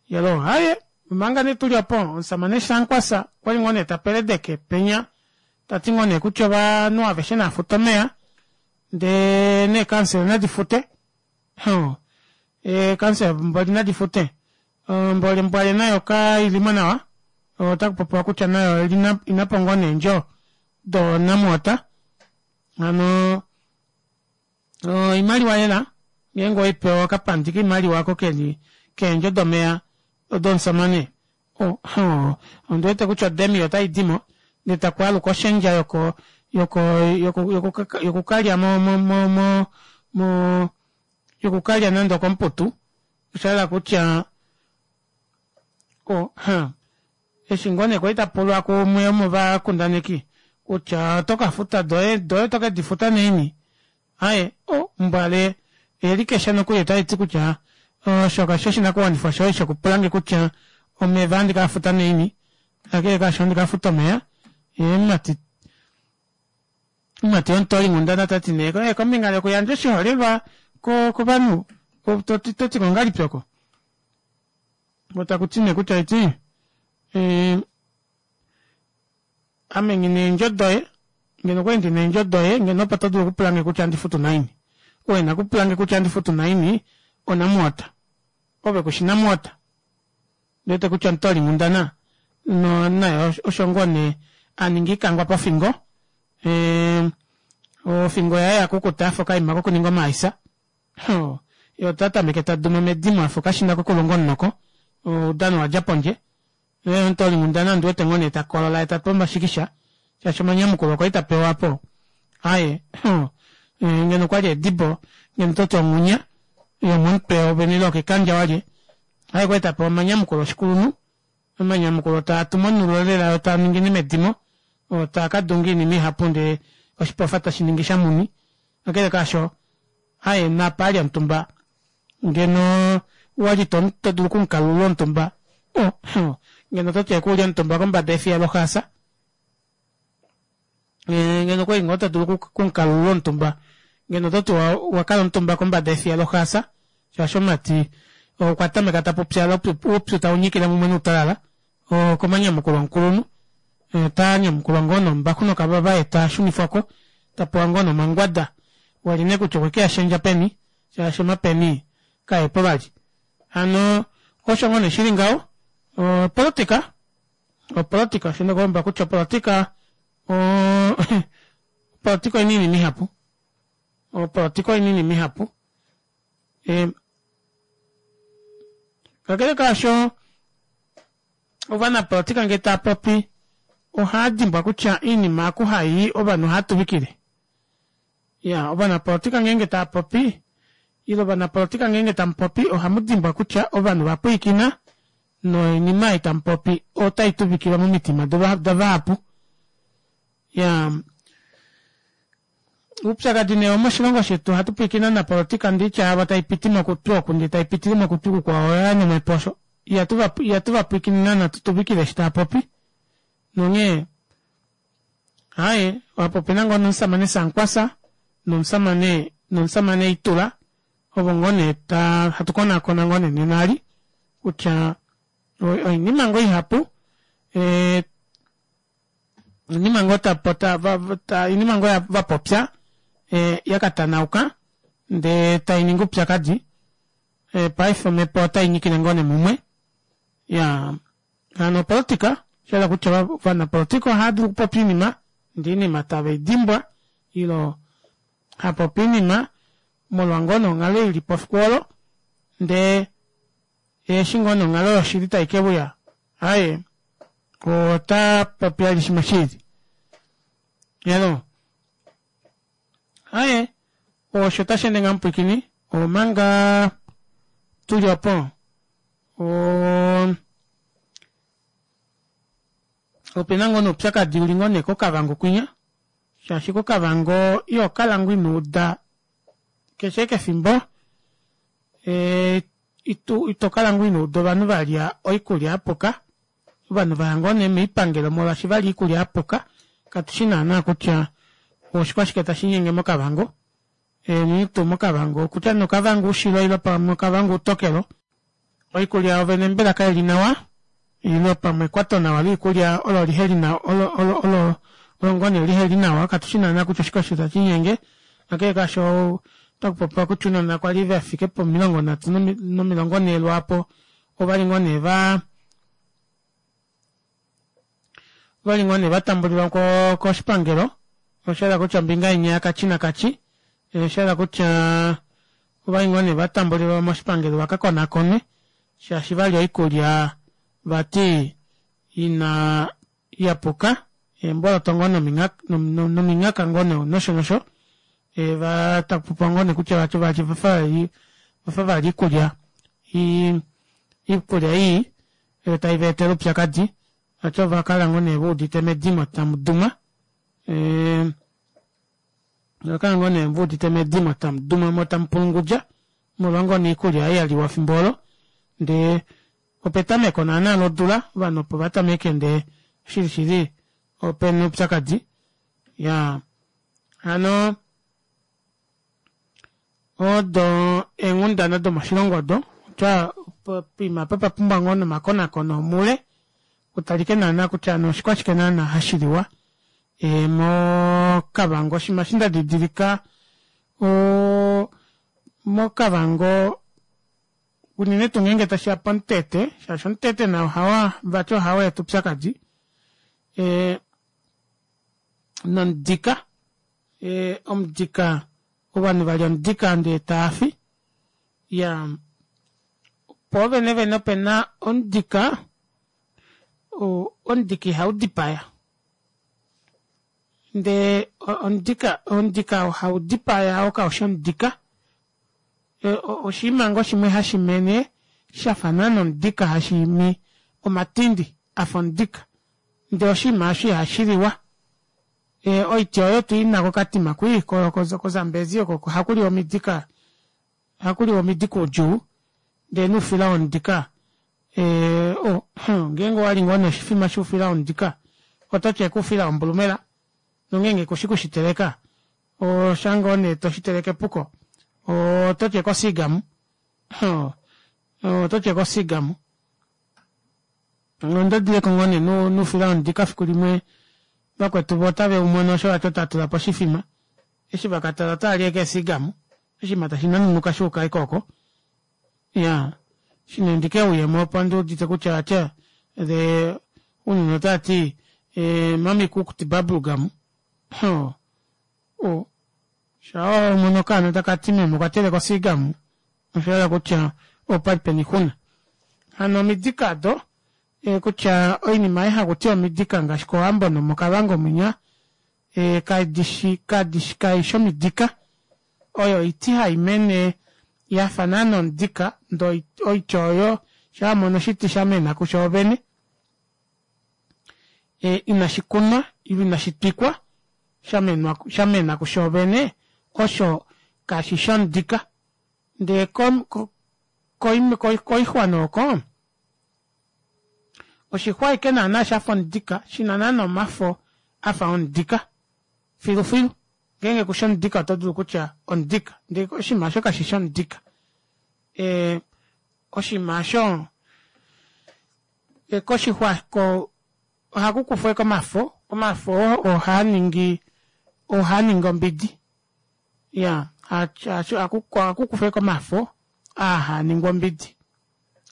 Yalo haye, omanga nee tuli opo, omusamane Sankwasa okwali ngoo nee ta peledeke penya, ta ti ngoo nee kutya ovanhu aveshe naa fute omeya, ndee neekansela nadi fute. Hoo, eekansela mboli nadi fute. Mboli Mbwale nayo ka ili mo nawa, otaku popiwa kutya nayo ina po ngoo neendjo do NamWater. Hano Oimaliwa lela ngeenge owei pewa okapandi koimaliwa oko keli keendjo domeya domusamane ondi wete kutya odemi otai dimo ndee taku aluka oshendja yoko yoko yoko yokukalya mo mo mo mo mo yokukalya nande okomuputu osha hala kutya o ha eshi ngoo nee kwali ta pulwa kuumwe womovakundaneki. Kutya oto ka futa doye doye oto ke di futa naini. Aye, o, mbwale elikesha nokuli otali ti kutya osho kashi oshinakuwanifwa shoye shokupula nge kutya omeva ohandi kaa futa naini. Kakele kaasho ohandi ka futa omeya. Ye omumati omumati womutoolinghundana ta ti nee eh, kombinga yokuyandja oshiholelwa kovanhu to ti ko ngahelipi oko? Otaku ti nee kutya eti eh, Ame nghi na eendjo doye, ngeno okwali ndi na eendjo doye, ngeno opo to dulu okupula nge kutya andi futu naini. Ou e na okupula nge kutya andi futu naini, oNamwater. Ove ku shi NamWater. Ndi wete kutya omutoolinghundana no naye osho ngoo nee a ninga ikangwa pofingo. Eeh, ofingo yaye ya kukuta ya fa okaima kokuninga omaaisa. Hoo, ye ota tameke ta duma medimo a fa okashina kokulunga omunoko. Oudano wa dja pondje. Omutoolinghundana ondi wete ngoo nee ta kolola ye ta tu omashikisha shaashi omanyamukulo okwa li ta pewa po aye ngeno okwali edibo ngeno toti onghunya yomomutwe wovene ile okekandja walye aye okwali ta pewa omanyamukulo oshikulunhu omanyamukulo taa tu monulo lela yo taa ningine medimo oo taa ka dunga oinima ihapu ndee oshipofa tashi ningi shamuni kakele kaasho aye napa ali omutumba Ngeno wa li to, to dulu okumukalulula omutumba, oh, oh, ngeno to ti eku uli omutumba kombada yefiya loxaasa. Eh, ngeno kwali ngoo to dulu okumukalulula omutumba, ngeno to ti wa, wa kala omutumba kombada yefiya loxaasa, shaashi omumati okwa tameka ta pupyala, oupyu tau nyikile mumwe noutalala, okomanyamukulo omukulunhu. Ota nyamukulwa ngoo nombaxu nokavava ye ta shunifwa ko, ta pewa ngoo nomangwada. Wali nee kutya okwe ke a shendja peni, shaashi omapeni kaepo vali. Hano osho ngoo nee shili ngaho, opolotika, opolotika osho ndakuhomba kutya opolotika opolotika oina oinima ihapu, opolotika oina oinima ihapu. Kakele kaasho ovanapolotika ngee tava popi ohaa dimbwa kutya oinima aku hai ovanhu ohaa tuvikile. Ya, ovanapolotika ngeenge tava popi, ile ovanapolotika ngeenge tamu popi ohamu dimbwa kutya ovanhu va pwilikina noinima ei tamu popi otai tuvikilwa momitima davahapu. Ya, oupyakadi nee womoshilongo shetu ohatu pwilikine ovanapolotika ndee oitya yavo tai piti mokutwi oku ndee tai pitile mokutwi kukwao oya nomhepo osho. Ihatu va, ihatu va pwilikine naana tu tuvikile eshi tava popi. Nonghee Aye, opo opena ngoo nomusamane Sankwasa nomusamane nomusamane Itula ovo ngoo nee ta hatu konakona ngoo nee nena ali kutya oinima ngoo ihapu eh, oinima ngoo ta, ta, ta, oinima ngoo va popya eh, ya ka tanauka ndee tai ningi oupyakadi eh, paife omhepo otai nyikile ngoo nee mumwe ya Hano opolotika, osha hala kutya ovanapolotika ohava dulu okupopya oinima ndee oinima tave i dimbwa ilo hapopi oinima molwa ngoo nee onghalo ili po fiku olo ndee eshi ngoo nee onghalo yoshili tai ke uya aaye ota popi vali shimwe shiili. Hello. Aye, osho tashi ende ngaho mupwiikini, omanga tuli opo. Ope na ngoo nee oupyakadi uli ngoo nee koKavango kwinya, shaashi koKavango iho kala ngoo ino uda keshe kefimbo ito kala ngoo ino uda ovanhu va lya oikulya ya puka, ovanhu va ya ngoo nee moipangelo molwaashi va lya oikulya ya puka, katu shi naana kutya oshikwashike tashi linyenge moKavango. Unene tuu moKavango, okutya nee oKavango Ushilo ile pamwe oKavango Utokelo, oikulya yovene mbela kai li nawa ile pamwe ekwatonawa loikulya olo lihe li nawa, olo, olo, olo, olo ngoo nee lihe li nawa, katu shi naana kutya oshike osho tashi linyenge. Kakele kaasho, otaku popiwa kutya ounona kwa li ve fike pomilongo nhatu nomilongo nhee lwaapo ova li ngoo nee va Ovali ngoo nee va tambulilwa ko koshipangelo, osha yela kutya ombinga inya yakachi nakachi, osha yela kutya ovali ngoo nee va tambulilwa moshipangelo va ka konakonwe shaashi vali oikulya vati ina ya puka, eemboloto ngoo nomingaka ngoo nee nosho nosho, va takupopiwa ngoo nee kutya vati ovali vafa vali iikulya iikulya ii oyo tai va etele oupyakadi, vati ova kala ngoo nee ve udite medimo tamu duma. E, kala ngoo nee muudite medimo tamu duma mo tamu pulungudja molwa ngoo nee iikulya ei ya liwa fimbo olo ndee opetameko naana lodula ovanhu opo vatameke ndee shili shili opena oupyakadi ya hano odo eenghundana domoshilongo odo kutya poima apa papumbwa ngoo nomakonakono omule kutalike naana kutya ano oshikwashike naana hashiliwa e, mokavango oshinima eshi ndadidilika o mokavango unene tuu ngeenge tashiya pomutete shaashi omutete nao ohawa vati ohawa eta oupyakadi e, nomudika e, omudika ovanhu valya omudika ndee taafi ya poo vene vene opena omudika omudika ihaudipaya ndee omudika omudika haudipaya oo kaushi omudika oshinima ngoo shimwe hashimene shafa naana omudika hashiimi omatindi afa omudika ndee oshinima osho ihashiliwa e, oiti oyo tuina kokatima kwii kozambezi oko ohakuliwa omidika ohakuliwa omidika udjuu ndee noufila womudika e, oh, ngeenge owali ngoo noshifima shoufila womudika ototi ashike oufila wombulumela nongeenge kushi kushiteleka osha ngoo nee toshiteleke epuko ototi ashike osigamu ototi ashike osigamu onda dileko ngoo nee noufila womudika fiku limwe vakwetu vo otave umono osho vati otatula po oshifima eshi vakatala otaali ashike esigamu oshinima tashi nanunuka shuuka ashike oko ya shine ndike uyemo opo ndiudite kutya atya the unene otati e, mami cooked bubble gum oh, oh. Shaa omono okaana taka ti meme okwa teleka osigamu osha hala kutya opali pena oixuna. Hano omidika do e, kutya oinima ei hakuti omidika ngaashi kOwambo nomoKavango mwinya e, kadishi kadishi kaishi omidika oyo oiti hai mene yafa naana omudika ndee oiti oyo shaa wamono oshiti shamena kushoovene e, inashi kunwa ile inashi twikwa shamenwa shamena kushoovene osho kashi shomudika ndee koixwa nooko oshixwa ashike naana shafa omudika shina naana omafo afa omudika filufilu ngeenge kushi omudika oto dulu kutya omudika ndee oshinima osho kashishi omudika e, oshinima osho e, koshixwa ko ohaku kufwa ashike omafo omafo oo ohaa ningi ohaa ningi ombidi ya ohaku kufwa ashike omafo aa haa ningwa ombidi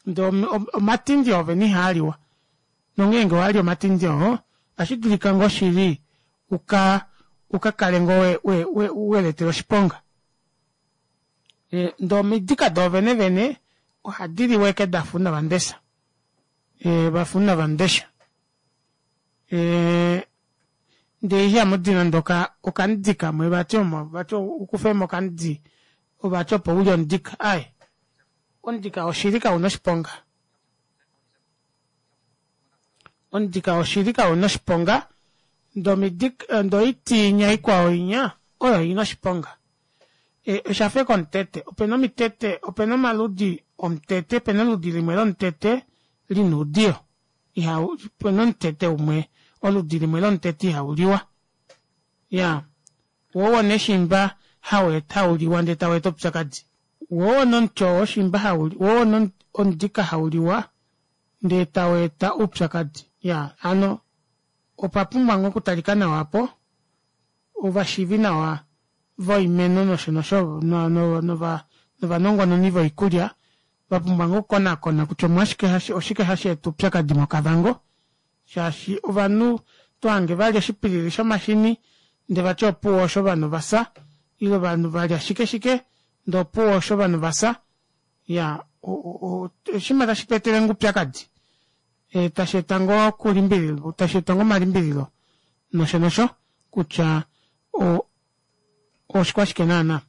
ndee omatindi oovene ihaaliwa nongeenge owali omatindi oo ohashi dulika ngoo shili uka uka kale ngoo we, we, we, weletela oshiponga e, ndee omidika doovene vene ohadi liwa eke dafa unavandesa e, vafa unavandesha e, ndee ihamudi nande okamudi kamwe vati omo vati ukufemo okamudi vati opo ulye omudika aye omudika woshili kauna oshiponga omudika woshili kauna oshiponga ndee oiti inya ikwao inya oyo ina oshiponga e, oshafa eke omutete opena omitete opena omaludi omutete opena oludi limwe lomutete lina oudiyo iha opena omutete umwe oludi limwe lomutete ihauliwa ya wo wona eshimba hauliwa ndee taweeta oupyakadi wo wona omuti oo shimba wo wona omudika hauliwa ndee taweeta oupyakadi ya hano opa pumbwa ngoo okutalika nawa apo ovashiivi nawa voimeno nosho nosho novanongononi voikulya vapumbwa ngoo okukonakona kutya omwashike oshike hashi eta oupyakadi mokavango shaashi ovanhu tohange valya oshipilili shomashini ndee vati opuwo osho ovanhu vafya ile ovanhu valya shike shike ndee opuwo osho ovanhu vafya ya oshinima tashi tu etele ngoo oupyakadi e, tashi eta ngoo okulimbililwa tashi eta ngoo omalimbililo nosho nosho kutya oshikwashike naana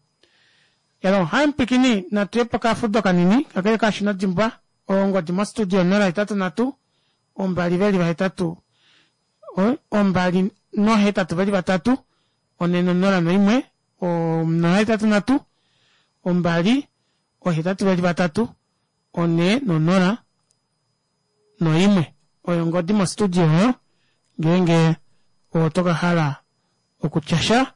elo hai mupikini natuye pokafudo kanini kakele kashi nodimbwa ongodi mostudio 083 2 veli vahetatu 2 083 401 083 2 823 4 noimwe oyo ongodi mostudio oyo ngeenge oto ka hala okutya sha.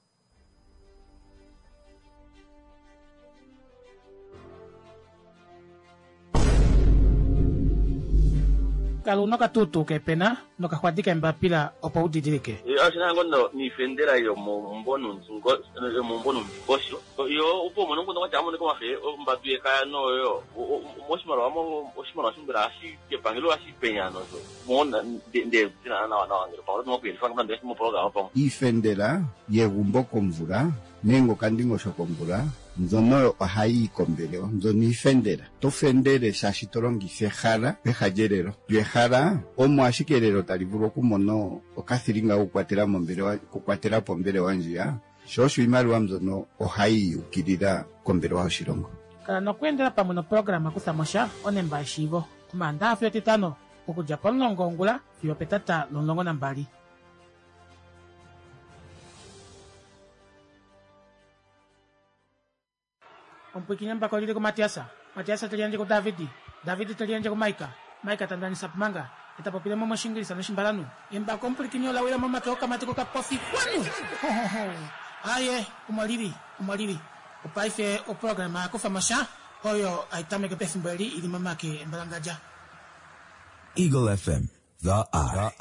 Kala una okatuutuu keepena nokaxwadi keembapila opo u didilike. Oshi na ngoo niifendela yomomumvo nomundingosho yo opo umone omukundu kwatya amonike omafe ombadu yekaya noyo moshimaliwa oshimaliwa shombela hashi kepangelo hashi penya nosho mo nde dina nawa nawa ngele pamwe oto kuyelifa nande moprograma pamwe. Iifendela yegumbo komvula nenge okandingosho komvula mbyono oyo ohayi yi kombelewa mbyono iifendela. To fendele shaashi to longitha ehala peha lyelelo. Lyo ehala omo ashike elelo tali vulu okumona okathilinga kokukwatela mombelewa okukwatela po ombelewa ndjiya, sho osho iimaliwa mbyono ohayi yi ukilila kombelewa yoshilongo. Kala nokweendela pamwe noprograma Kutha mo sha, onemba yeshiivo, Omaandaha fiyo Etitano, okudja pomulongo wongula fiyo opetata lomulongo nambali. Omupwiikini embako oli li kuMatias, Matias te liyandje kuDavid, David te liyandje kuMaika, Maika ta ndanisa Pumanga, e ta popile mo mOshiingilisa nOshimbalanhu. Embako omupwilikini ola wila momake okamati kokapofi. Kwanu! Ho, ho, ho! Aaye, omo li li, omo li li. Opaife oprograma ya kufa mo sha, oyo hai tameke pefimbo eli i li momake embalangadja. Eagle FM, The Eye.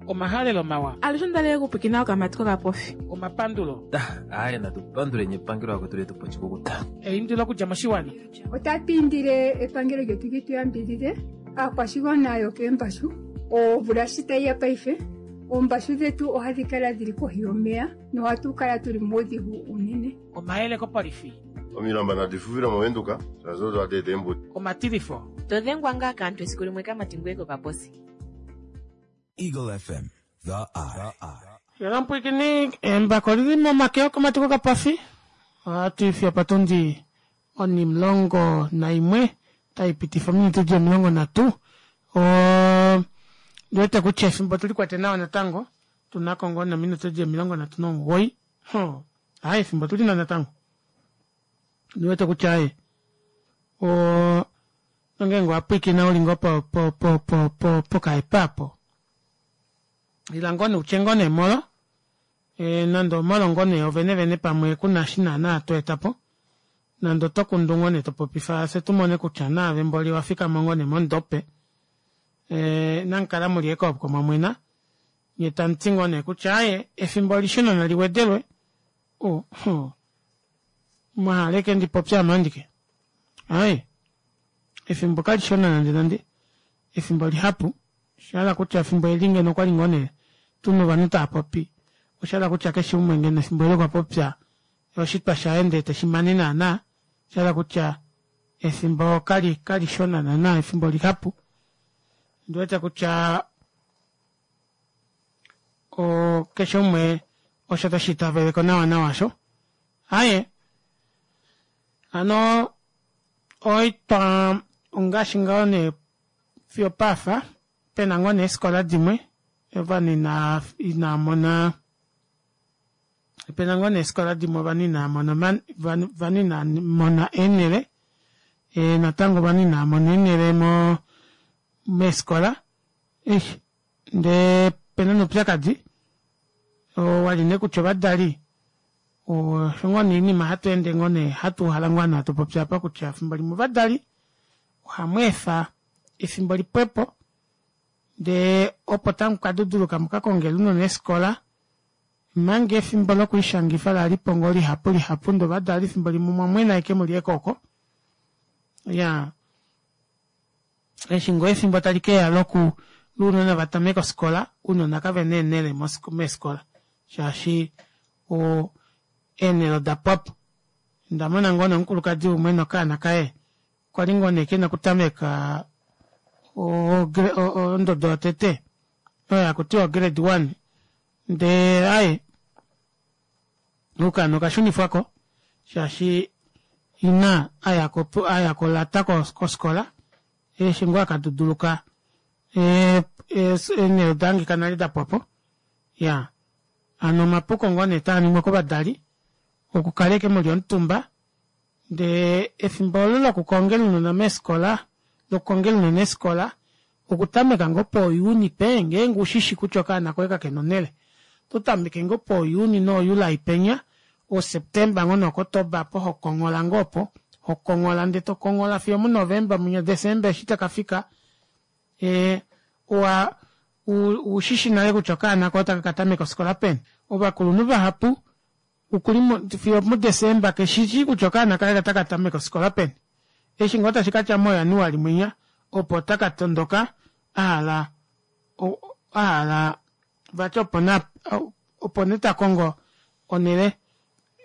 Omahalelo mawa. Alushe onda li okupwikina okamati kokapofi. Omapandulo. Aaye natu panduleni epangelo akwetu letu po oshikukuta. Eindilo okudja moshiwana. Otatu indile epangelo lyetu li tu yambidhidhe aakwashigwana yokeembashu. Omvula shi tayi ya paife, oombashu dhetu ohadhi kala dhili kohi yomeya nohatu kala tuli muudhigu uunene. Omayele kopolifi. Omilamba nadi fuvile mOvenduka, shaashi odo hadi eta eembudi. Omatilifo. To dhengwa ngaa kaantu esiku limwe kamati ngoye kokaposi. Eagle FM, The Eye. Yela mpwikini embako lili momake okamati kokapofi. Ohatu ifi opatundi onimulongo naimwe tai pitifa ominute di 30. O ndiwete kutya efimbo tuli kwate nawa natango. Tunako ngoo nominute di 39. Ho, aye efimbo tuli na natango. Ndiwete kutya aye o nongeenge owa pwiikina uli ngoo po po po po po pokaepa apo. Ila ngoo nee utye ngoo nee molo. E, nande omolo ngoo nee ovene vene pamwe ku na shi naana to eta po. Nande oto kundu ngoo nee to popifa fye tu mone kutya naave mboli owa fikama ngoo nee mondope. E, namukala muli ekooko mwa mwena. Nye tamu ti ngoo nee kutya aye efimbo olishona nali wedelwe. O, ho. Mwa hala eke ndi popye ame andike. Aye. Efimbo kalishona nande nande. Efimbo lihapu. Osha hala kutya efimbo eli ngeno okwali ngoo nee tuna ovanhu tava popi. Osha hala kutya keshe umwe ngeno efimbo eli okwa popya oshitwa shaye ndee teshi mane naana. Osha hala kutya efimbo kali kalishona naana efimbo lihapu. Ondi wete kutya o keshe umwe osho tashi itaveleko nawa nawa osho. Aye hano oitwa ongaashi ngaho nee fiyo paafa pena ngoo nee eefikola dimwe ovanhu ina inaa mona pena ngoo nee eefikola dimwe ovanhu inaa mona ovanhu inaa mona eenhele e, natango ovanhu inaa mona eenhele mo meefikola eish ndee pena noupyakadi oo wali nee kutya ovadali osho ngoo nee oinima hatu ende ngoo nee hatu uhala ngoo ovanhu hatu popi apa kutya efimbo limwe ovadali ohamu efa efimbo lipwepo ndee opo tamu ka duduluka muka kongele ounona eefikola manga efimbo lokulishangifa lalipo ngoo lihapu lihapu ndee ovadali efimbo limwe omwa mwena ashike muli ekoko iyaa eshi ngoo efimbo tali keya loku lounona va tameka ofikola ounona kavena eenhele meefikola shaashi o eenhele oda pwapo. Onda mona ngoo nee omukulukadi umwe nokaana kaye kwali ngoo nee kena okutameka ondodo yotete oyo haku tiwa ograde one ndee aye okaana okashunifwako shaashi ina aya kolata kofikola eshi ngoo akaduduluka eenhele oda hangika nale dapwapo. Ya hano omapuko ngoo nee taa ningwa kovadali okukala ashike muli omutumba ndee efimbo olo lokukongela ounona meefikola lokukongela ounona eefikola okutameka ngoo pooJuni pee ngeenge ushishi kutya okaana koye kakena onele ototameke ngoo pooJuni nooJuly penya ooSeptember ngoo nooKotoba aapo hokonghola ngoo opo hokonghola ndee tokonghola fiyo omuNovember mwinya December eshi takafika ee owa ushishi nale kutya okaana koye otaka katameka ofikola peni. Ovakulunhu vahapu okuli fiyo muDesemba keshishi kutya okaana kaye otaka tameke ofikola peni. Eshi ngoo tashi katya moJanuali mwinya opo taka tondoka ahala ahala vati opo nee opo nee takongo onele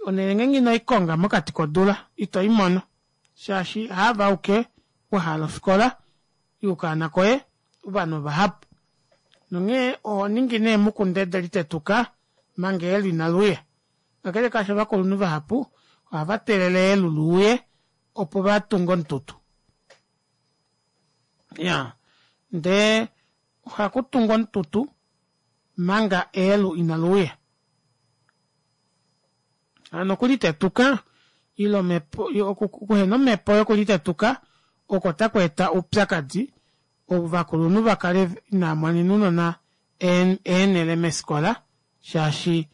onele ngeenge inoikonga mokati kodula ito imono shaashi haave auke wahala ofikola yokaana koye ovanhu ovahapu nonghee oho ningi nee mukundede litetuka manga eelu inaluuya kakele kaasho ovakulunhu vahapu ohava teelele eelu luuye opo vatunge omututu ya ndee ohakutungwa omututu manga eelu inaluuya hano okulitetuka ile omhepo okuhena omhepo yokulitetuka oko taku eta oupyakadi ovakulunhu vakale inaamonena ounona eenhele meefikola shaashi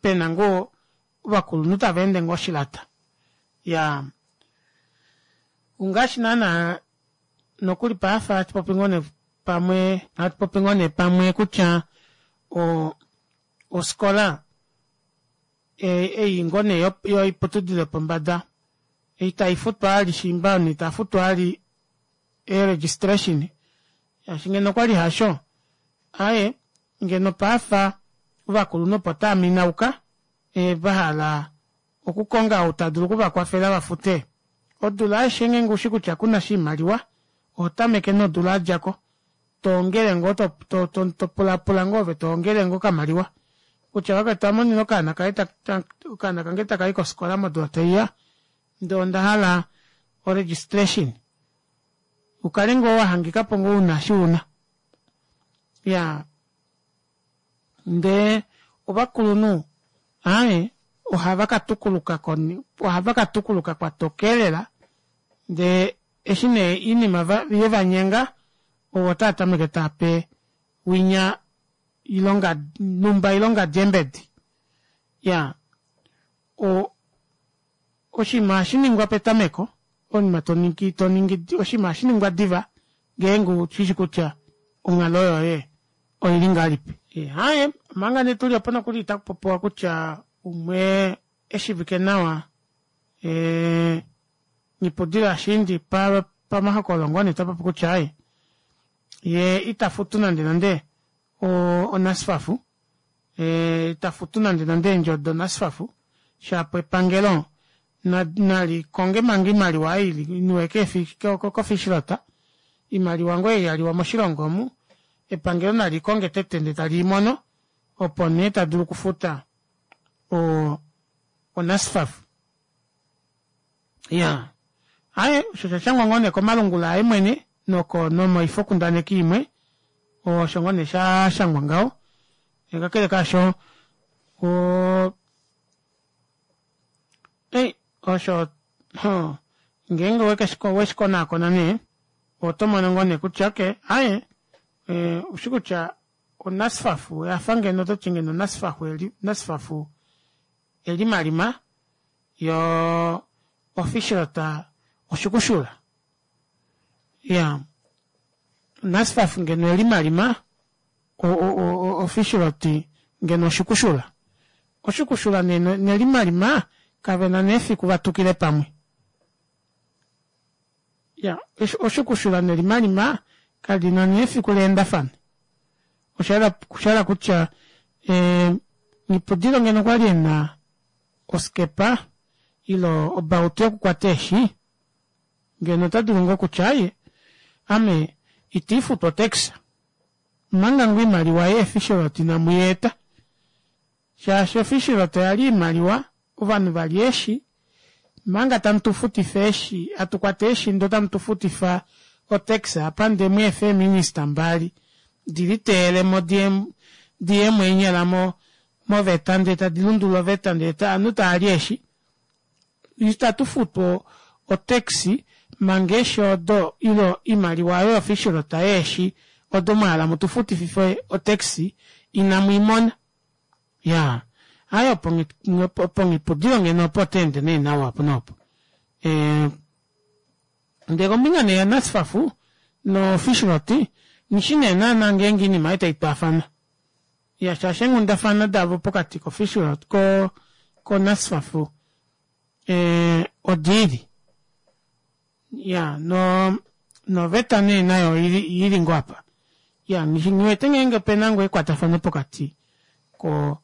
pena ngoo ovakulunhu tava ende ngoo oshilata. Iyaa ongaashi naana nokuli paife ohatu popi ngoo nee pamwe ohatu popi ngoo nee pamwe kutya o ofikola ei ngoo nee yoiputudilo yopombada itaifutwa vali shiimba ovanhu itaafutu vali ee registration shaashi ngeno okwali hasho aaye ngeno paife ovakulunhu opo tava minauka vahala okukonga ou tadulu okuvakwafela vafute odula aishe ngeenge ushi kutya kuna oshimaliwa oho tameke nodula yadjako toongele ngoo topulapula ngoo ove toongele ngoo okamaliwa kutya vakwetu ame ondina okaana kaye okaana kange takayi kofikola modula taiya ndee ondahala o registration ukale ngoo wahangikapo ngoo una eshi una iyaa ndee ovakulunhu aaye ohava katukuluka ohava katukuluka kwatoka elela ndee eshi nee oinima yevanyenga ovo otava tameke taape winya ilonga numba ilonga djeembedi iyaa o oshinima ohashiningwa petameko oinima toningi toningi oshinima ohashiningwa diva ngeenge ushishi kutya onghalo yoye oili ngahelipi. Aaye omanga nee tuli opo nokuli itaku popiwa kutya umwe eshivike nawa Nghipudilo Ashiindi pamahokololo ngoo nee tapopi kutya aaye yee ita futu nande nande oNASFAF ita futu nande nande eendjo doNASFAF shapo epangelo nali konge manga oimaliwa ei iniwe koFishrot oimaliwa ngoo ei yaliwa moshilongo omu epangelo nali konge tete ndee tali imono opo nee tadulu okufuta oNASFAF. Iyaa aaye osho osha shangwa ngoo nee komalungula aye mwene noko nomoifokundaneki imwe osho ngoo nee sha shangwa ngaho kakele kaasho o ei osho ngeenge weshikonaakona nee oto mono ngoo nee kutya okay aaye oushi kutya oNASFAF oyafa ngeno ototi ngeno NASFAF NASFAF elimalima yo official ta oshukushula ya NASFAF ngeno elimalima official ngeno oshukushula oshukushula nelimalima kavena nee efiku vatukile pamwe ya oshukushula nelimalima kalina nee efiku leendafane oshahala kutya Nghipudilo ngeno okwali ena oskepa ile obautu yokukwata eeshi ngeno ota dulu ngoo kutya aaye ame ita ifutu otax omanga ngoo oimaliwa yeefishrot inamu i eta shaashi ofishrot oya li oimaliwa ovanhu vali eeshi manga tamu tu futifa eeshi hatu kwata eeshi ndee otamu tu futifa otax apa ndee mweefa eeminista mbali. Di liteyele mo di di ye mo eenyala mo moveta ndee tadi lundulula oveta ndee ovanhu tava li eeshi. Itatu futu o-tax manga eeshi odo ile oimaliwa oyo yoFishrot yeeshi odo mwa hala mutu futifife o-tax inamu i mona. Iyaa, aaye opo nghipudilo ngeno opo ota ende nee nawa opo noopo. Ndee kombinga nee yaNasfaf noFishrot nghishi nee naana ngeenge oinima ei tai twaafana. Iya shaashi eenghundafana davo pokati koFishrot ko koNasfaf odiili. Iya no noveta nee nayo oili ngoo apa. Iya nghi wete ngeenge opena ngoo ekwatafano pokati ko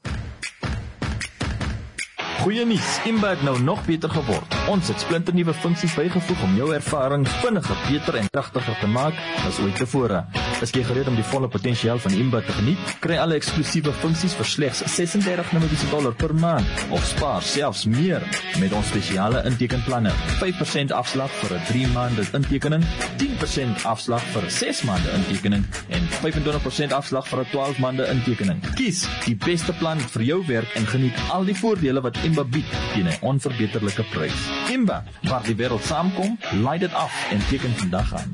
Goeie nuus, Imba het nou nog beter geword. Ons het splinternuwe funksies bygevoeg om jou ervaring vinniger, beter en kragtiger te maak as ooit tevore. Is jy gereed om die volle potensiaal van Imba te geniet? Kry alle eksklusiewe funksies vir slegs 36 Namibiese dollar per maand of spaar selfs meer met ons spesiale intekenplanne. 5% afslag vir 'n 3 maande intekening, 10% afslag vir 'n 6 maande intekening en 25% afslag vir 'n 12 maande intekening. Kies die beste plan vir jou werk en geniet al die voordele wat Imba bied teen 'n onverbeterlike prys. Imba, waar die wêreld saamkom, laai dit af en teken vandag aan.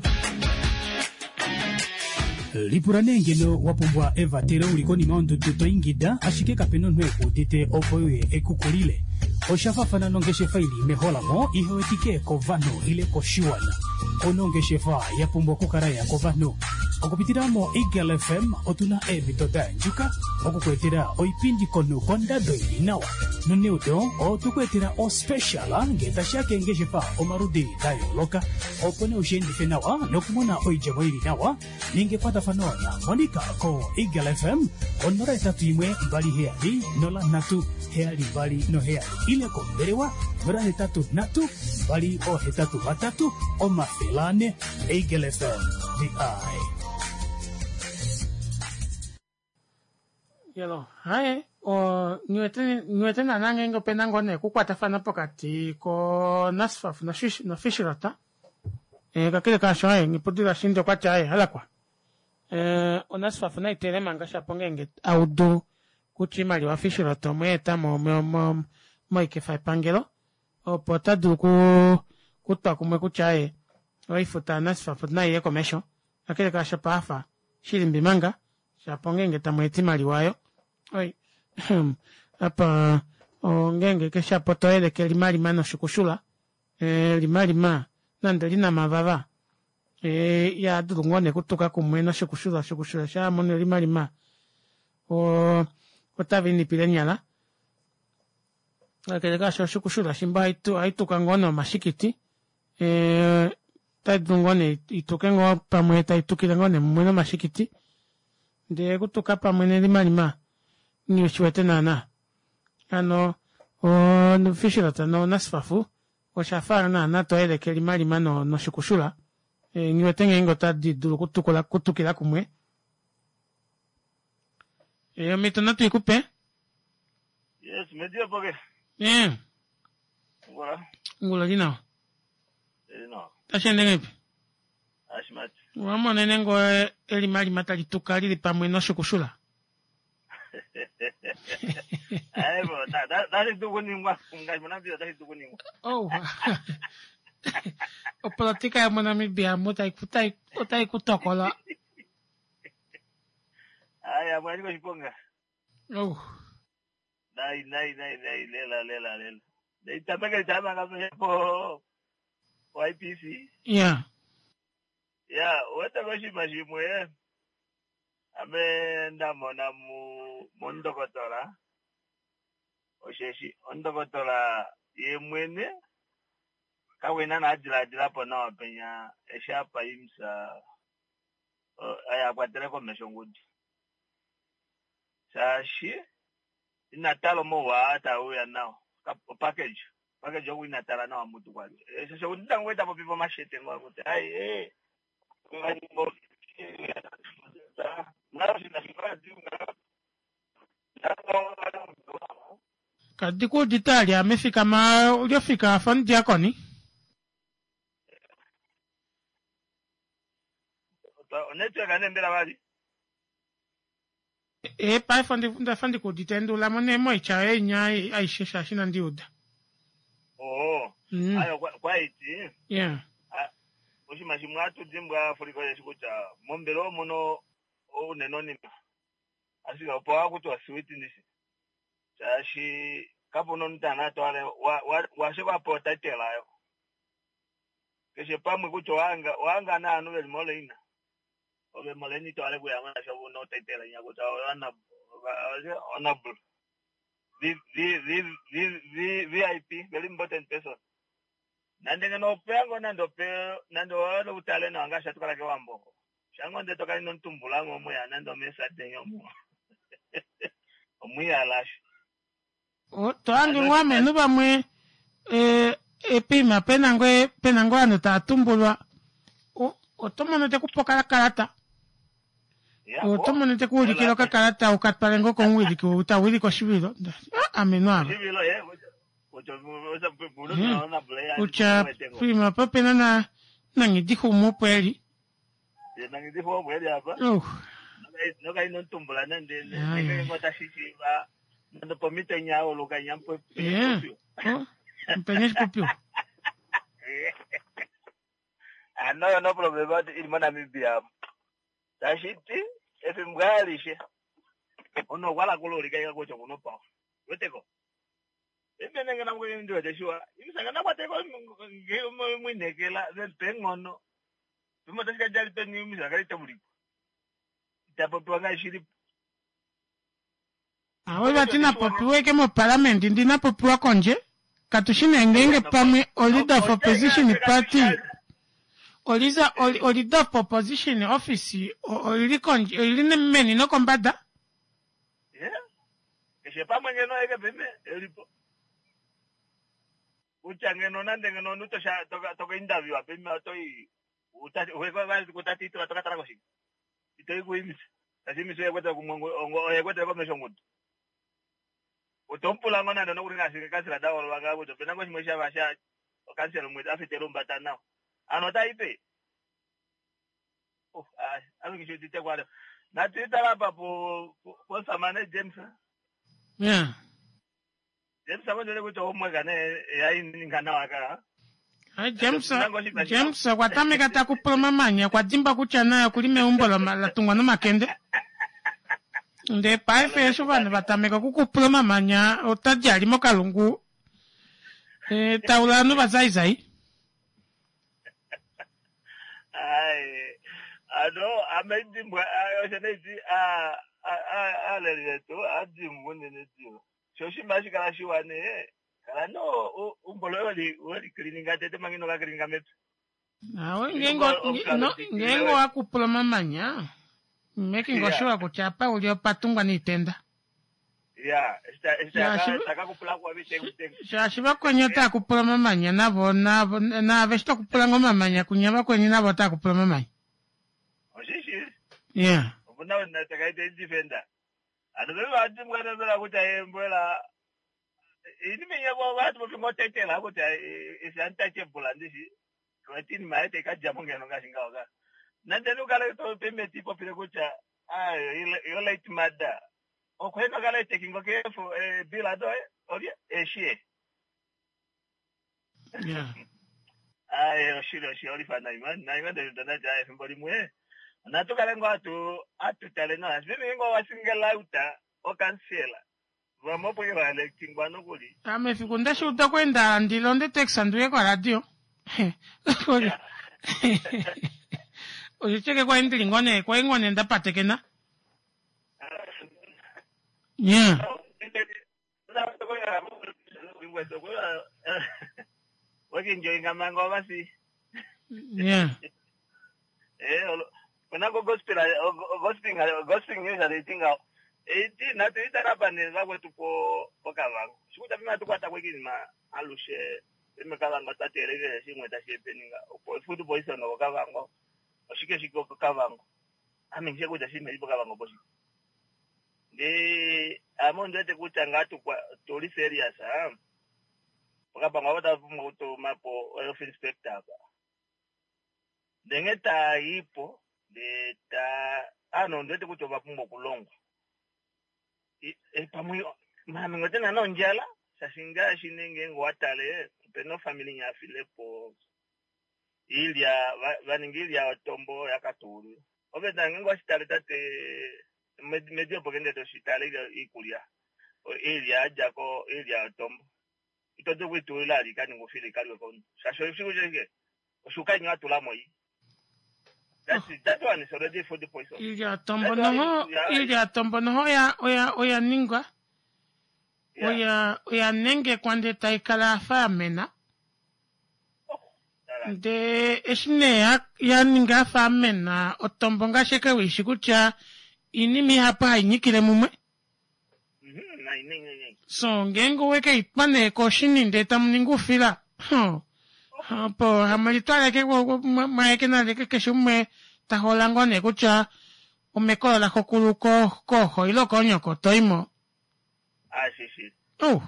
Lipula nee ngeno wa pumbwa evatelo uli konima yondudu to ingida ashike kape na omunhu e ku udite opo e uye e ku kulile. Osha faafana nongeshefa i li meholamo ihe wetike kovanhu ile koshiwana. Ouna ongeshefa ya pumbwa okukala ya kovanhu. Okupitila moEagle FM otu na eemhito da yandjuka oku ku etela oipindi komunhu kondado i li nawa. Noneudo otwe ku etela ospecial ngee tashi ya keengeshefa omaludi da yooloka. Opo nee ushi endife nawa nokumona oidjemo i li nawa, ninga ekwatafano naMonica koEagle FM ko 081 27 03 727 ile kombelewa 083 283 400. Eagle FM, the eye. Yelo, haye, o, niwete, niwete naana ngeenge opena ngoo nee okukwatafana pokati ko NASFAF noFishrot. E, kakele kaasho haye, Nghipudilo Ashindi okwati haye, halakwa. E, oNASFAF nai teele manga shapo ngeenge audu kutya oimaliwa Fishrot omwe eta mo, mo, mo, moikefa yepangelo, opo ota dulu ku, kutwa kumwe kutya haye, oifuta yaNASFAF nai ye komesho. Kakele kaasho paafa, shilimbi manga, Shapo ngeenge tamu eta imaliwa oyo. Oi. Apa ongeenge ke shapo to yeleke limalima noshikushula. E, limalima nande lina mavava. E, ya dulu ngoo ne kutuka kumwe noshikushula, oshikushula sha mono limalima. O, otava inipile nyala. Kakele kaasho oshikushula shimba ohai tuka ngoo nomashikiti. E, otai dulu ngoo nee ituke ngoo pamwe tai tukile ngoo nee mumwe nomashikiti ndee okutuka pamwe nelimalima nghi shi wete naana hano oFishrot noNasfaf osha fa naana to yeleke elimalima noshikushula nghi wete ngeenge otadi dulu okutukula kutukila kumwe omhito natu i kupe. Yes, medio poke. Ngula. Ngula li nawa. Tashi ende ngahelipi? Owa monene ngoo elimalima tali tuka li li pamwe noshukushula? Oh. Opolotika yomoNamibia mu otai ku tokola. Oh. Nai nai nai nai lela lela lela. Neitameke tamanga po YPC. Yeah. Ya, uwete koshinima shimwe ame nda mona mu mondokotola osheshi ondokotola ye mwene kakwena na diladila po nawa penya eshi apa IMSA oye a kwatele komesho ongudu. Shaashi ina tala omauwa aa tae uya nao. Opackage, opackage oku ina tala nawa mutu kwali. Shaashi oku tango kwali ta popifa omashete ngoo kutya ai ee Kadi ku udite ali ame fikama uli ofika afa omudiakoni. Onetwork ane mbela vali. E paife ondafa ndikuudite nduulamo nee moitya yoye inya aishe shaashi inandi uda. Oo. Ayo kwaiti. Yeah. Oshinima shimwe hatu dimbwa Africa osheshi kutya mombelewa omuno ounene onima. Ashike opo hakutiwa sweet ndishi. Shaashi kapuna omunhu tana twale washe vapewa otitle ayo. Keshe pamwe kutya owahanga owahanga naanhu veli moleina. Ove moleina ito hale kuyamo shaashi ove una otitle inya kutya honorable. V V V V V VIP very important person. Nande ngeno opeya ngoo nande ope nande owahala utale nawa ngaashi hatu kala kewambo oko. Shango ndee tokala ino mutumbula mo omuya nande omeesadenya omo. Omwiyalashe. To hange ngoo amenhu vamwe eh, epiima pena ngoo pena ngoo ovanhu tava tumbulwa oto mono te kupe okakalata oto mono te kuulikile okakalata uka twale ngoo komuwiliki ou ta wilike oshivilo ah, amenhu ava kutya poima apa pena na nangidixumu opo eli Mupenya oshipopiwa. Ano oyo no problema ili moNamibia tashi ti efimbo alishe omunhu okwa hala kuluulika ika kutya okuna opawa weteko imene ngena ndi wete shiwa imisanga nakwateko mwinekela vemupe eenghono pimwe otashi ka djali peni imisanga kali taulikwa ita popiwa ngaashi shilipo Awe vati napopiwa eke moparliament ndi napopiwa kondje katu shi nee ngeenge pamwe o leader of opposition party o leader o leader of opposition office oili kondje oili meni nokombada. Keshe pamwe ngeno eke pime elipo kutya ngeno nande ngeno omunhu toka interviewa pime otoi tokatala koshike ito kuimisa tashi imisa oye kwetele kumwe oye kwetele komesho ongudu otomupula ngo nande nokuli ngaashi kansela da hololwa ngaa kutya opena ngo shimwe shava sha okansela umwe a fita elumbata nawa ano otai pe oh, ame ngishi udite kwale natu itala apa posamane James yeah. James amo kutya omweka ne yaininga nawa ka James James okwa tameka ta kupula omamanya okwa dimbwa kutya naye okuli meumbo la tungwa nomakende ndee paife eshi ovanhu va tameka okukupula omamanya ota di ali mokalungu e, taula ovanhu vazaizai Ai, ano ame dimbwa osho neiti aaleli vetu adimbwa unene diva sho oshinima hashi kala shiwa nee kala no umbo loye weli kilininga tete manga ino ka kilininga mepya. Awe ngeenge owakupula omamanya making sure kutya apa uli opatungwa niitenda. Ya, taka kupula kwa vitengu. Shaashi vakweni otaa kupula omamanya navo navo naave eshi tokupula ngo omamanya kunya vakweni navo otaa kupula omamanya. Oshishi. Yeah. Opuna na takaita defender. Ano veve vadimbwa nembela kutya embwela inima inyako vati vofingotetela kutya is untouchable andishi wati inima yayo taikadjamo ngeno ngaashi ngaho ka nande nukale topemeti popile kutya ayo yo late mother okweno kala taking care of bill adoye olye eshie Yeah. Aye oshili oshili olifa naima naima ndadati efimbo limwe natu kale ngoo atu atutale nawa meme ngoo wasingela uta okansela vamwe opo ke vaelectingwa nokuli Ame efiku ndashiuda okweenda ndi londe taxi ndiuye koradio oshicheke kwali ndili ngoo nee kwali ngoo nee ndapatekena yeah wakinjoinga manga ovasi yeah onako gospel gospel gospel news aleitinga eiti natu italapa ne vakwetu po pokavango shikuta pima tukwata kwekinima alushe pime kavango tatelekele shimwe tashipeninga opo food poison kokavango oshike shike kokavango ame ngishe kutya shimwe pokavango poshike ndi ame ondiwete kutya ngaa tuli serious a pokavango apo tapumbwa kutumapo health inspector apa ndenge tayipo ndee ta ano ondiwete kutya ovapumbwa okulongwa Pamwe maame ngotena nondjala shaashi ngaashi nee ngeenge owatale opena ofamili nyafilepo iilya vaninga iilya yotombo yakatuulula ove ta ngeenge owashitale tate medi opo kende toshitale iikulya iilya yadjako iilya yotombo ito dulu okuitulila ali ikaninga oufila ikaliwe komunhu shaashi oshiku shike oshuka inya watulamo i That one is already food poison. Iilya yotombo noho iilya yotombo noho oya oya oya ningwa oya oya nengekwa ndee tai kala ya fa ya mena ndee eshi nee ya, ya ninga ya fa ya mena otombo ngaashi eke wiishi kutya iinima ihapu hai nyikile mumwe so ngeenge oweke i twa nee koshini ndee tamu ningi oufila opo hamu litwaleke mwaeke naleke keshe umwe ta hola ngoo nee kutya omekolo laxokulu kooxo ile koonyoko toimo Ashishi. Oh.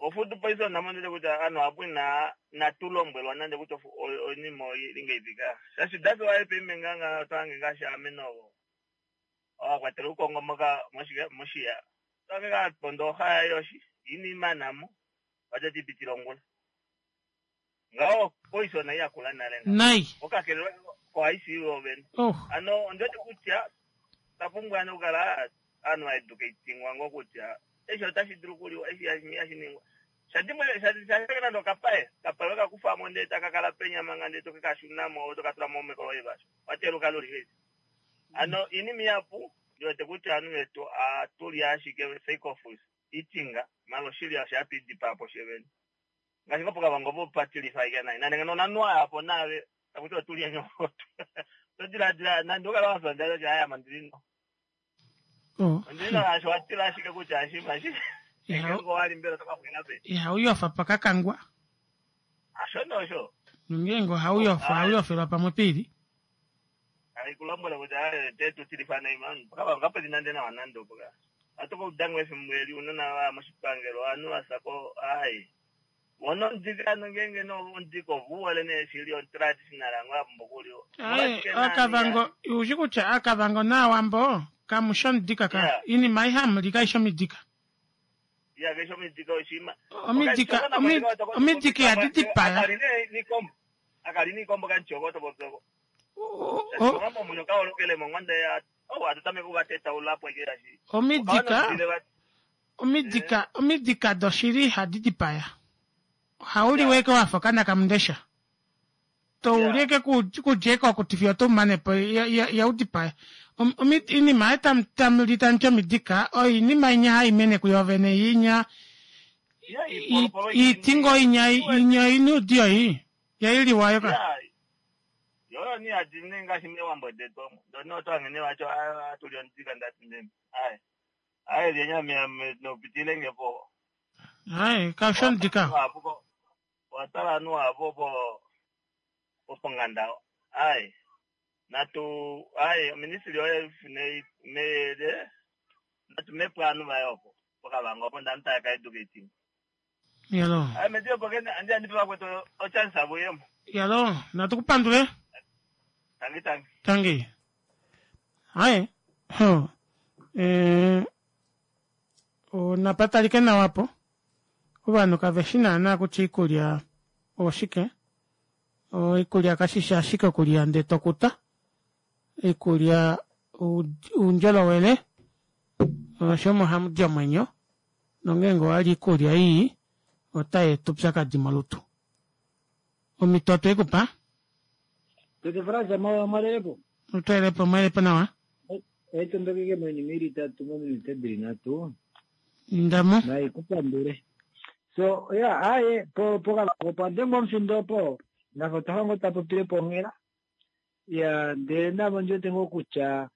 Ofood poison namonene kutya anhu apo ina natu lombwelwa nande kutya oinima oili ngeipi ka. Shashi that's why paife nganga otwange ngaashi ame novo. Owakwatela uukongo moka moshike moshiya. Otwange ngaa ponda oha yoshi ini manamo. Watati pitila ongula. Ngaho poison yakula nale. Nai. Okakelelwa ko ICU ovene. Oh. Ano ondiwete kutya otwa pumbwa ano okukala ovanhu va educatingwa ngoo kutya eshi otashi dulu okuliwa eshi hashi ningwa shadimwe shashake nande okapaye okapaye weka kufamo ndee taka kala penya manga ndee toke kashunamo toka tulamo mekolo loivasho wateluka luli ano iinima ihapu ndiwete kutya ovanhu vetu atuli ashike sake of eating mala oshili osho hatu idipaa po shevene ngaashi ngoo pokavango opo patilifa ashike nai nande ngeno onanwa yapo naave takuti otuli enyokoto to diladila nande ukala wafya ondjala kutya aya mondilino Oh. ondilino osho watila ashike kutya ashima shi ngeenge owali mbela oto ka xwila peni Ihau yofa pakakangwa. Asho nosho Nongeenge ohau yofa, ohau yofelwa pamwe piili. Hai kulombwela kutya te tu tilifa nai man pokavango kapeli nande nawa nande opo ka atu koudango efimbo eli unona vaya moshipangelo ovanhu vasako ai wona omudika ano ngeenge no omudika ovuwole nee shili otraditional ngo apumbwa okuliwa Aye, Aakavango, ushi kutya Aakavango nAawambo kamu shi omudika ka. Yeah. Iinima ayihe hamu li kayi shi omidika. Ya keshe omidika oshima. Omidika, omidika ihadi dipaya. Akali nee nikombo. Akali nikombo kanchoko topopyoko. Omambo munyo kaolokele mongonde ya oh atutameke kuvatetaula apo ike yashi. Omidika, omidika, omidika doshili ihadi dipaya. Ohau liwa eke wafa okana kamundesha. To uli eke kudja eke okuti fiyo oto mane po ihau dipaya. Oinima ayo tamu li tamu ti omidika oyo iinima inya hai mene kuyo vene inya iiti ngoo inya inya oina oudiyo ii yailiwa yo ka. Yoyo ni hadi ne ngaashi mewambo detu omo. Ndoni oto hange vacho atuli omudika ndati ndemi. Ai. Ai lyenyama nopitile nge po. Ai kaushi omudika. Watala anu apo po ponganda. Ai. Natu ai ministry oye ne ne natu mepo anu vayo pokavango opo ndanhu taya ka educating. Yalo. Ai medio po kene andi andi pa kwetu o chance avo yemo. Yalo, natu kupandule. Tangi tangi. Tangi. Ai. Ho. Eh onapatalike nawa po. Ovanhu kave shi naanaa kutya iikulya oshike. Oikulya kashi shi ashike okulya ndee to kuta. Iikulya uundjolowele osho omo hamu di omwenyo. Nongeenge owa li iikulya ii otai eta upyakadi molutu. Omhito otwe i ku pa? Tete Frans mwalelepo. Otwelepo mwelepo nawa. Haitondokeke moinima ili itatu mominute dili nhatu. Indamo. Naikupandule. So yeah, aye po pokavango opa dengwa omufindo opo nafa otwa fa ngoo ta popile po onghela. Ya ndele navo ndi wete ngoo kutya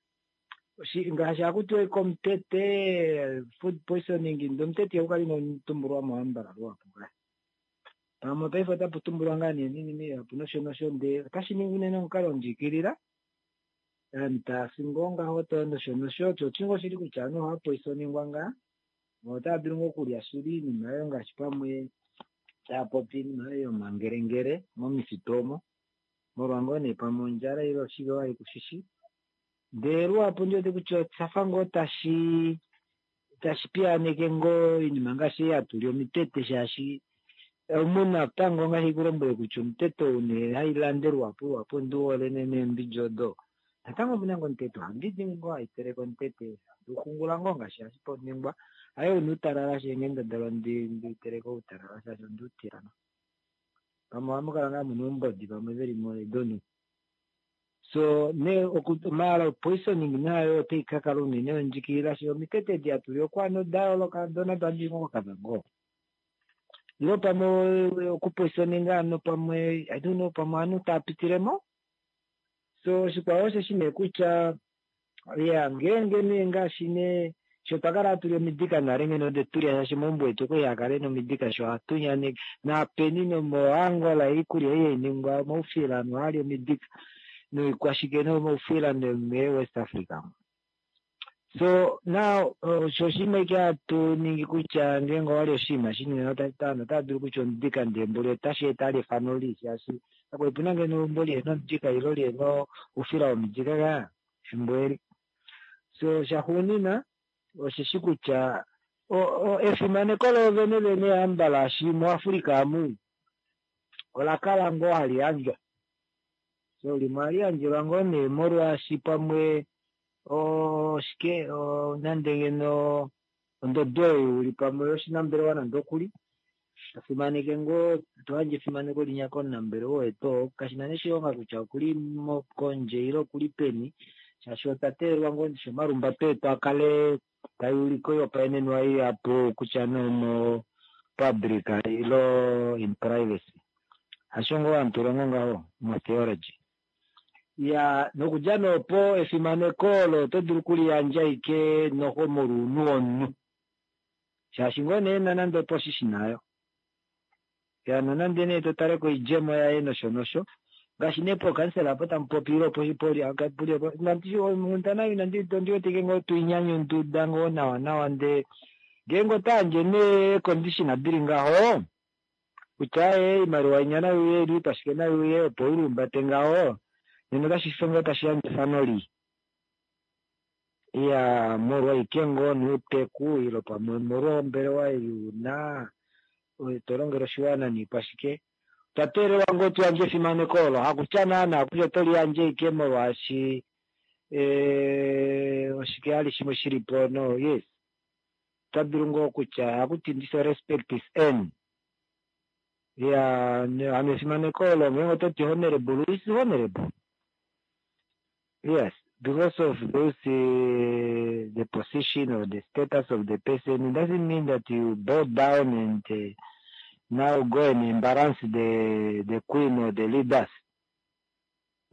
ngaashi haku tiwa komutete food poisoning ndee omutete ihaku kala ina tumbulwa mohambala luhapu ka. Pamwe paife otapu tumbulwa ngaa nee ninima ihapu nosho nosho ndee otashi ningi unene omukalo ndjikilila ovanhu tava fi ngoo ngaho to nosho nosho osho oshi ngoo shili kutya ovanhu ohava poisoningwa ngaa otava dulu ngoo okulya shili iinima oyo ngaashi pamwe tava popi iinima oyo yomangelengele momifitu omo molwa ngoo nee pamwe ondjala ile oshike wali kushishi ndee luhapu ndi wete kutya oshafa ngoo tashi. tashi piyaaneke ngoo oinima ngaashi ei hatu li omitete shaashi omu natango ngaashi kulombwele kutya omutete ou nee hai lande luhapu luhapu ondi hole nee neembidja odo natango omuna ngoo omutete ohandi ningi ngoo hai teleke omutete handi uxungula ngoo ngaashi hashi ningwa haye una utalala shee nghendabala ndi teleke outalala shaashi ondi utila pamwe ohamu kala ngaa muna oumbodi pamwe veli mo I don't know. So nee maala poisoning nayo otai ka kala unene ondjikilila shee omitete edi hatu li okwaana oda yooloka dona tadi koKavango. Ilo pamwe okupoisoninga ano pamwe I don't know pamwe ovanhu tava pitilemo. So oshikwao osheshi nee kutya ya ngeenge nee ngaashi nee sho twa kala hatu li omidika nale ngeno ode tulya shaashi omaumbo etu okwali haa kala ena omidika sho ohatu nyaneke naapeni nomoAngola oikulya ei hai ningwa omaufila ovanhu ohava li omidika noikwashike nomaufila nomee-West Africa. So now osho oshinima ike hatu ningi kutya ngeenge owali oshinima shinene ovanhu otava dulu kutya omudika ndee mboli otashi eta ali efano lii shaashi kakwali puna ngeno eumbo lihena omudika ilo lihena oufila womidika kaa efimbo eli. So shaxuunina osheshi kutya efimaneko loovene vene hambala shi muAfrica amu ola kala ngoo hali yandjwa. So limwe ohali yandjelwa ngoo nee molwaashi pamwe oshike nande ngeno ondodo oyo uli pamwe yoshinambelewa nande okuli to fimaneke ngoo to yandje efimaneko linya komunambelewa wetu oo kashina nee oshilonga kutya okuli kondje ile okuli peni shaashi otwa teelelwa ngoo ndishi omalumbato etu a kale tai ulike oihopaenenwa ihapu kutya nee omo public ilo in privacy. Hasho ngoo hatu longo ngaho mo theology. Ya nokudja nee opo efimaneko olo oto dulu okuliyandja ashike noho molwounhu womunhu. Shaashi ngoo nee ena nande oposition nayo. Ya nonande nee to tale koidjemo yaye nosho nosho. Ngaashi nee pookansela apo tamu popi ile onghundana inandi ondi wetike ngoo tuinyanyunduda ngoo nawa nawa ndee ngeenge ota yandje nee condition dili ngaho kutya ee oimaliwa inya nai uye ile oikwashike nai uye opo u lihumbate ngaho nena otashi fe ngoo tashi yandje efano lii. Iya molwa ashike ngoo nouteku ile pamwe molwa ombelewa ei una to longele oshiwana niikwashike. Otwa teelelwa ngoo tu yandje efimaneko olo hakutya naana kutya oto liyandje ashike molwaashi oshike hali shimwe shilipo no yes. Ota dulu ngoo kutya hakuti ndishi respect is earned. Ya hano efimaneko olo ngeenge oto ti honorable is honorable. Yes, because of those the position or the status of the person, it doesn't mean that you bow down and now go and embarrass the queen or the leaders.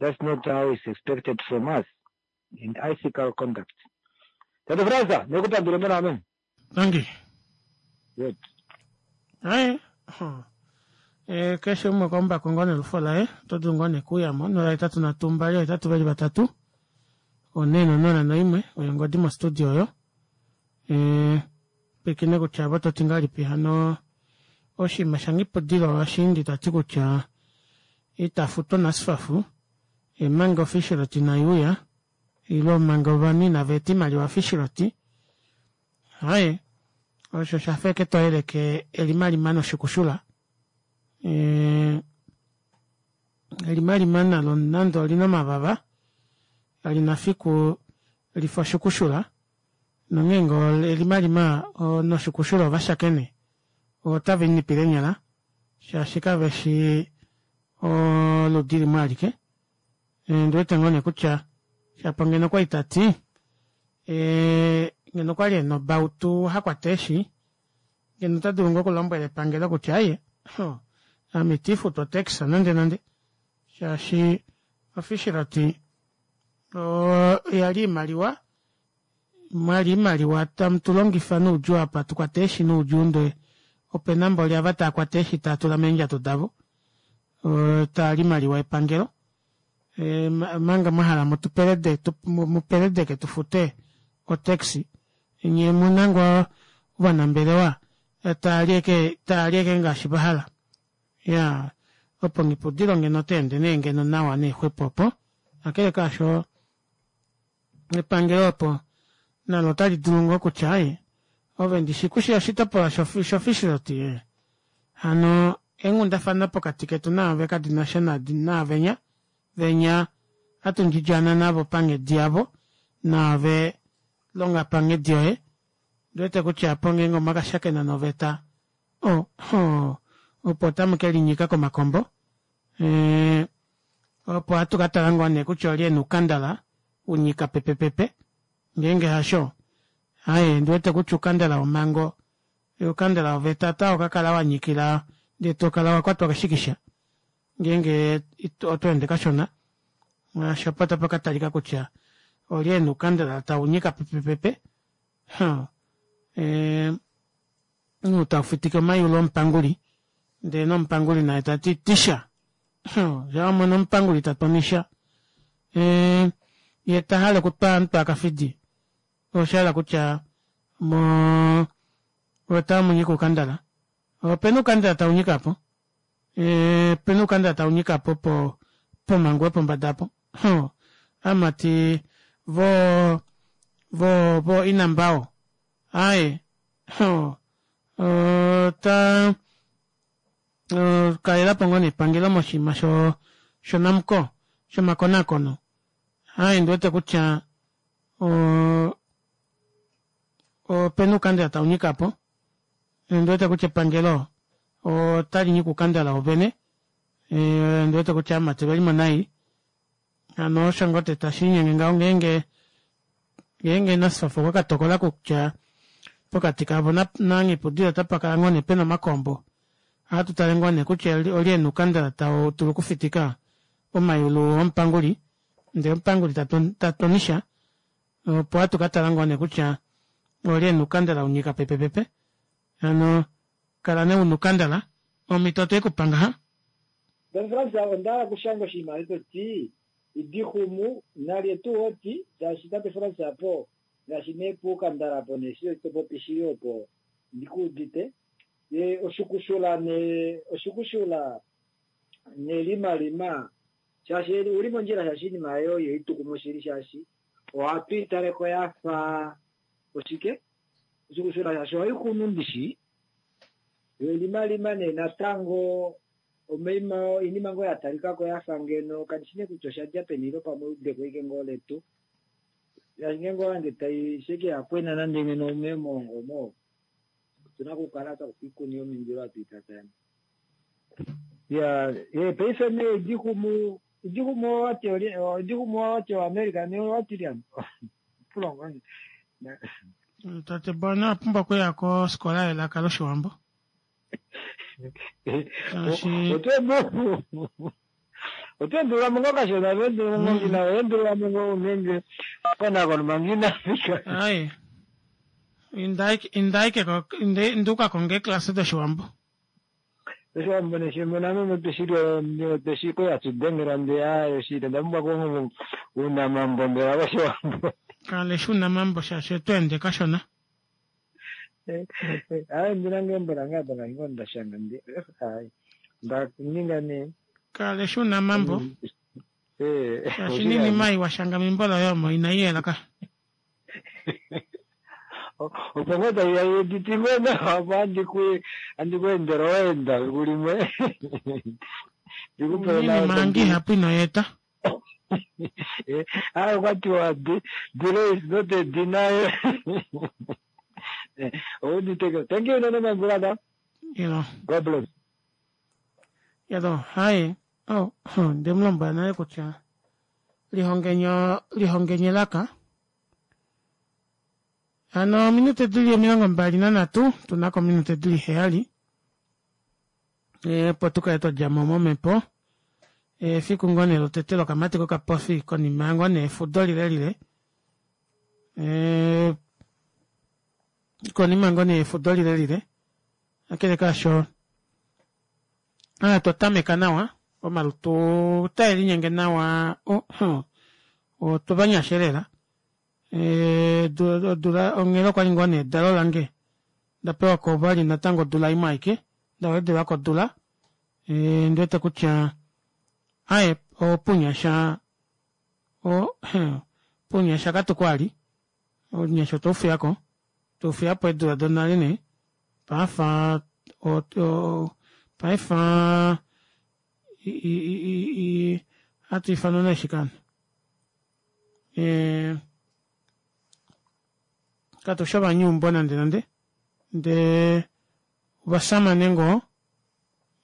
That's not how it's expected from us in ethical conduct. Tate Fraser, nekupandule mona amen. Dankie. Good. Hai. Eh, keshe umwe kombako ngoo nelufo laye oto dulu ngoo nekuuyamo 083 2 823 401 oyo ongodi mostudio oyo. Eh, pwikine kutya vo toti ngahelipi hano oshinima shaNghipudilo Washiindi ta ti kutya ita futwa NSFAF manga ofishiloti inai uya ile manga ovanhu inava eta oimaliwa fishiloti. Haye osho sha fa eke to yeleke elimalima noshikushula. Eh, elimalima nalo nande olina omavava kali na fiku lifa oshukushula nongeenge elimalima noshukushula ova shakene otava inipile eenyala shaashi kave shi oludi limwe alike. Ndi wete ngoo nee kutya shapo ngeno okwali ta ti ngeno okwali ena obautu ha kwata eeshi ngeno ota dulu ngoo okulombwela epangelo kutya aye ame iti futu otax nande nande shaashi ofishiloti oya li iimaliwa mwali iimaliwa tamu tu longifa noudjuu apa tu kwate eeshi noudjuu ndee opena mboli ava tava kwata eeshi tava tula meendjato davo taa li imaliwa yepangelo omanga mwa hala mutupelede mupeledeke tu fute otax nye muna ngoo ovanambelewa tava li eke tava li eke ngaashi va hala ya opo Nghipudilo ngeno ota ende nee ngeno nawa nee xwepo opo kakele kaasho epangelo opo nalo otali dulu ngoo kutya aye. Ove ndishi kushi oshitopolwa shofishrot ye. Hano eenghundafana pokati ketu naave kadi na sha naavenya, venya hatu ndjidjana navo panghedi yavo, naave longa panghedi yoye. Ndi wete kutya apo ngeenge omwa ka shakena noveta, o, ho, opo otamu ke linyika komakombo. E, opo hatu ka tala ngoo nee kutya olye e na oukandala u nyika pepepepe. Ngeenge hasho, aye, ndi wete kutya oukandala womhango, oukandala woveta otau ka kala wa nyikila ndee to kala wa kwatwa keshikisha ngeenge oto ende kashona. Ngaashi opo tapa ka talika kutya olye e na oukandala tau nyika pepepepe. Huh. E, ou tau fitike omayulu omupanguli ndee nomupanguli naye ta ti tisha. Huh. Sha wa mona omupanguli ta tonisha, e, ye ta hale okutwa aantu a kafidi, osha hala kutya mo otamu nyika oukandala. Opena oukandala tau nyika po. E, opena oukandala tau nyika po po pomhangu yopombada apo. Huh. Aamati vo vo vo inambao. Aye. Huh. Ota kalela po ngoo nepangelo moshinima sho shoNamcor shomakonakono. Aye ndi wete kutya opena uukandela tau nyika po. Ondi wete kutya epangelo otali nyika uukandela wovene. Ondi wete kutya aamati oveli mo nai. Hano osho ngoo te tashi linyenge ngaho ngeenge ngeenge NSFAF okwa ka tokola kutya pokati kavo naNghipudilo otapa kala ngoo nee pena omakombo. Ohatu tale ngoo nee kutya olye ena uukandela tau dulu okufitika omayulu omupanguli ndee omupanguli ta tonisha opo hatu ka tala ngoo nee kutya olye ena uukandela unyika pepepepe. Hano kala nee una uukandela omhito otwe ku pa ngaha. Don Frans, onda hala okushanga oshinima eshi to ti, Idixumu, nalye tuu oti, shaashi tate Frans apo, ngaashi nee puukandala apo nee shi to popi shili opo ndi ku udite. Ye oshukushula nee, oshukushula nelimalima, shaashi uli mondjila shaashi oinima oyo ihai tu kumu shili shaashi ohatu i tale ko ya fa oshike, oshukushula shaashi ohai kunu ndishi, yo elimalima nee natango omaima oinima ngoo ya talika ko ya fa ngeno kandi shi nee kutya osha dja peni ile pamwe eudeko ashike ngoo letu shaashi ngeenge owa hange tai sheke ya kwena nande ngeno omeemongo omo otu na okukala twa kufa oikuni yomindilo hatu i tatayana. Ya, ye paife nee idixumu idixumu owati oli idixumu owati oAmerica nee owati lyani pulongo Tate Bona owa pumbwa okuya koskola yelaka lOshiwambo. Shaashi Oto endulula mo ngoo kashona, oto endulula mo ngoo ngina, oto endulula mo ngoo ngeenge konakono manga ina fika. Aye. Inda ashike ko, inda u ka konge eeklasa dOshiwambo. Oshiwambo neshimbo name otweshili otweshi ko hatu dengela ndee aaye oshili onda pumbwa ko uunamambo mbela wOshiwambo. Ka lesha uunamambo shaashi oto ende kashona. Aaye ndina ngoo embo lange apa ngaashi ngoo nda shanga ndee aaye nda ninga nee. Ka lesha uunamambo shaashi iinima ei wa shanga membo loye omo inai yela ka. Opo ngoo tai ya editi ngoo nawa opo handi ku handi ku endele oweenda fiku limwe. Ndikupele nawa Iinima yange ihapu ino yeeta. Aaye okwa tiwa delay is not a denial. Ouditeko. Thank you unene my brother. Yelo. God bless. Yelo, haye. Oh, nde mu lombwela nale kutya lihongenyo lihongenye elaka. Hano ominute dili 23 tuna ko ominute dili 7 opo tu kale twa dja mo momhepo. Efiku ngoo nee lotete lokamati kokapofi konima ngoo nee efudo lilelile. Konima ngoo nee efudo lilelile. Kakele kaasho twa tameka nawa omalutu otae linyenge nawa otwa vanyasha lela. Odula onghela okwali ngoo nee edalo lange nda pewa ko vali natango odula imwe aike nda wedelwa kodula ndi wete kutya aye opunyasha o punyasha katu kwali ounyasha otwa ufiyako. Tufiyapo eedula donale nee paife paife hatu ifanwa nee shike hano katushi ovanyuumbo nande nande ndee ovashamane ngoo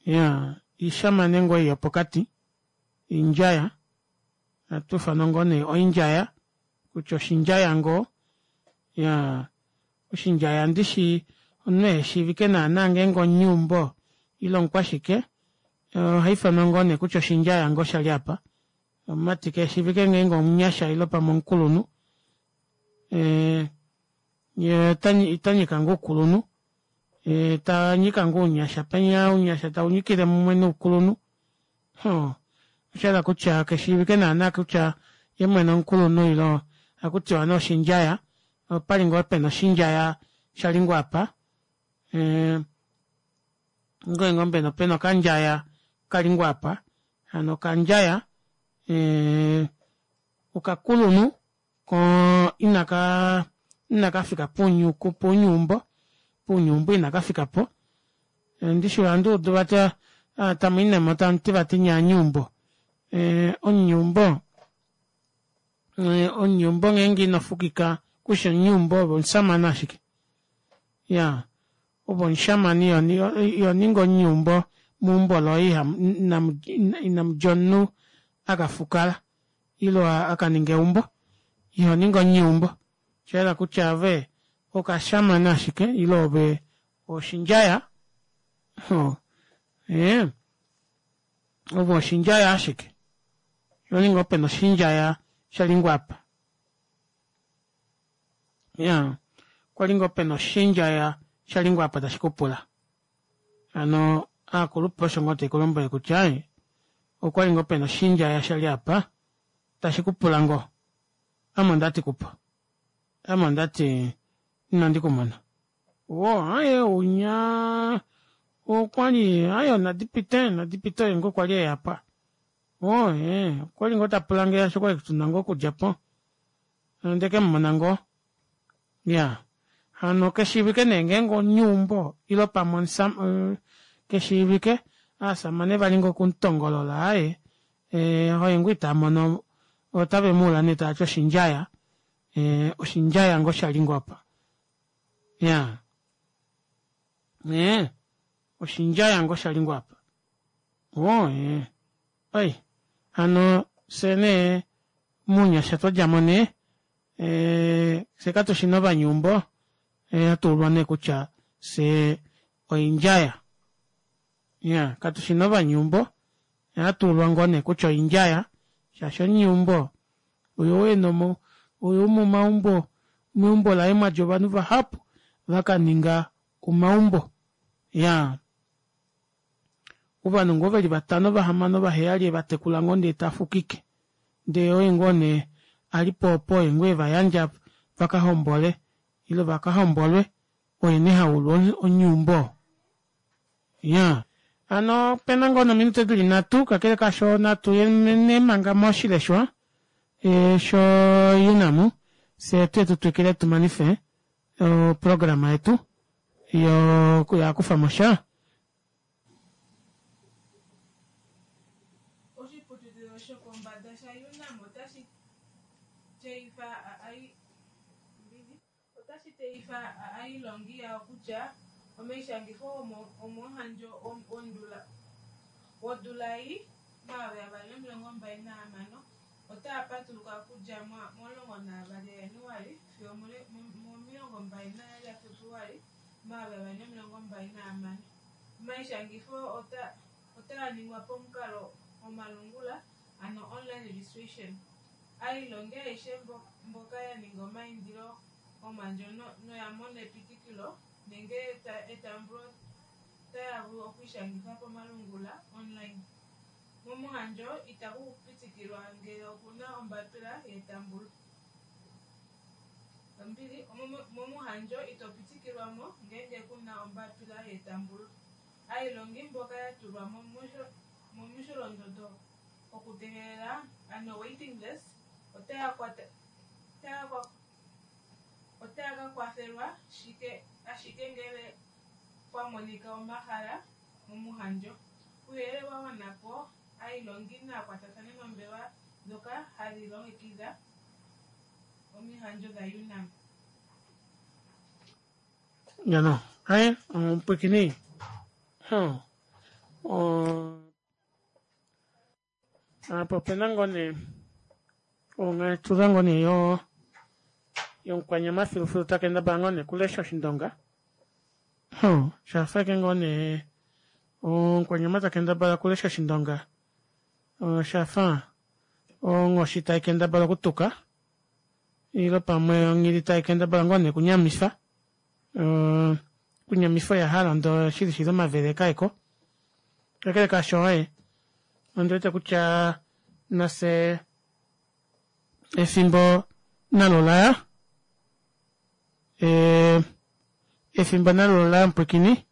iyaa ishamane ngoo ei yopokati indjaya ohatu ifanwa ngoo nee oindjaya kutya oshindjaya ngoo iyaa oshindjaya ndishi omunhu eheshiivike naana ngeenge omunyeumbo ile omukwashike ohaifanwa ngoo nee kutya oshindjaya ngoo shali aapa omumati keshiivike ngeenge omunyasha ile pamwe omukulunhu yee otanyika ngoo oukulunhu yee tanyika ngoo ounyasha penya ounyasha taunyikile mumwe noukulunhu hoo oshahala kutya keshiivike naana kutya yeemwene omukulunhu ile ohakutiwa nee oshindjaya opali ngoo pena oshindjaya shali ngoo apa ngee ngoo mbela opena okandjaya kali ngoo apa hano okandjaya okakulunhu koo inaka inakafika pounyuumbo pounyuumbo inakafikapo ndishi ohandi udu vati tamuinemo tamuti vati nyee ovanyuumbo omunyuumbo omunyuumbo ngeenge inofukika kushi omunyuumbo ove omushamane ashike iyaa ove omushamane ihoningi omunyuumbo meumbo loye inamudja omunhu akafukala ile akaninga eumbo ihoningi omunyeumbo oshayela kutya ove okashamane ashike ile ove oshindjaya ee ove oshindjaya ashike ihoningi opena oshindjaya shalingwa apa iyaa okwali ngoo pena oshindjaya shalingwa apa tashikupula hano aakulupe osho ngoo taikulombwele kutya aaye okwali ngoo pena oshindjaya shali apa tashi kupula ngoo ame ondati kupo ame ondati inandi kumona woo aaye unya okwali aaye onadipite onadipite oye ngoo kwali eyapa woo ee okwali ngoo tapulange shaashi okwali tuna ngoo okudjapo ondeke mumona ngoo Iyaa hano keshiivike nee ngeenge omunyeumbo ile pamwe keshiivike aasamane vali ngoo okumutongolola aaye oye ngoo itamono otave muula nee taati oshindjaya oshindjaya ngoo shali ngoo apa iyaa oshindjaya ngoo shali ngoo apa oo ee Ai hano fye nee mounyasha twadjamo nee fye katushina ovanyuumbo hatuulwa nee kutya fyee oindjaya iyaa katushina ovanyuumbo ohatuulwa ngoo nee kutya oindjaya shaashi omunyuumbo oyou ena oyou momaumbo meumbo laye mwadja ovanhu vahapu vakaninga omaumbo iyaa Ovanhu ngoo veli vatano vahamano vaheyali evatekula ngoo ndee tafukike ndee oye ngoo nee alipo opo oye ngoo evayandja vakahombole ile vakahombolwe oye nee haulwa onyuumbo oo. Iyaa hano opena ngoo nominute dili nhatu kakele kaasho natu ye nee manga moshileshwa sho UNAM fyee tuye tutwikile tumanife oprograma yetu yokuyakufa mosha. Oshiputudhilo shopombanda sha UNAM otashi tseyitha otashi tseyitha aailongi yawo kutya omaishangitho gomomuhandjo gwondula ei 2026 otaga patuluka okudja mo 12 gaJanuali sigo 22 gaFebuluali 2026. Omaishangitho otaga ningwa pamukalo gomalungula ano online registration. Aailongi ayehe mboka ya ninga omaindilo gomuhandjo noya mona epitikilo nenge etambulo otaya vulu okwiishangitha pamalungula, online. Momuhandjo itaku pitikilwa ngele ku na ombapila yetambulo. Ombili, momuhandjo ito pitikilwa mo ngele ku na ombapila yetambulo. Aailongi mboka ya tulwa momusholondondo gokutegelela, ano waiting list, otaya Otaya ka kwathelwa shike ashike ngele pwa monika omahala momuhandjo. Kuuyelele wa gwana po, aailongi naya kwatathane nombelewa ndhoka hadhi longekidha omihandjo dhaUnam. Jano, aye, omupwikini. Huh. Apa opena ngoo nee ongaetudha ngoo nee yo yomukwanyama filufilu ta kendabala ngoo nee okulesha oshindonga. Huh, shafa eke ngoo nee omukwanyama ta kendabala okulesha oshindonga oshafa onghoshi tai kendabala okutuka ile pamwe onghili tai kendabala ngoo nee okunyamifa okunyamifa oya hala ndoo shili shili omavele kaeko. Kakele kaasho oye ondi wete kutya nafye efimbo nalo laya e, efimbo nalo laya mupwikini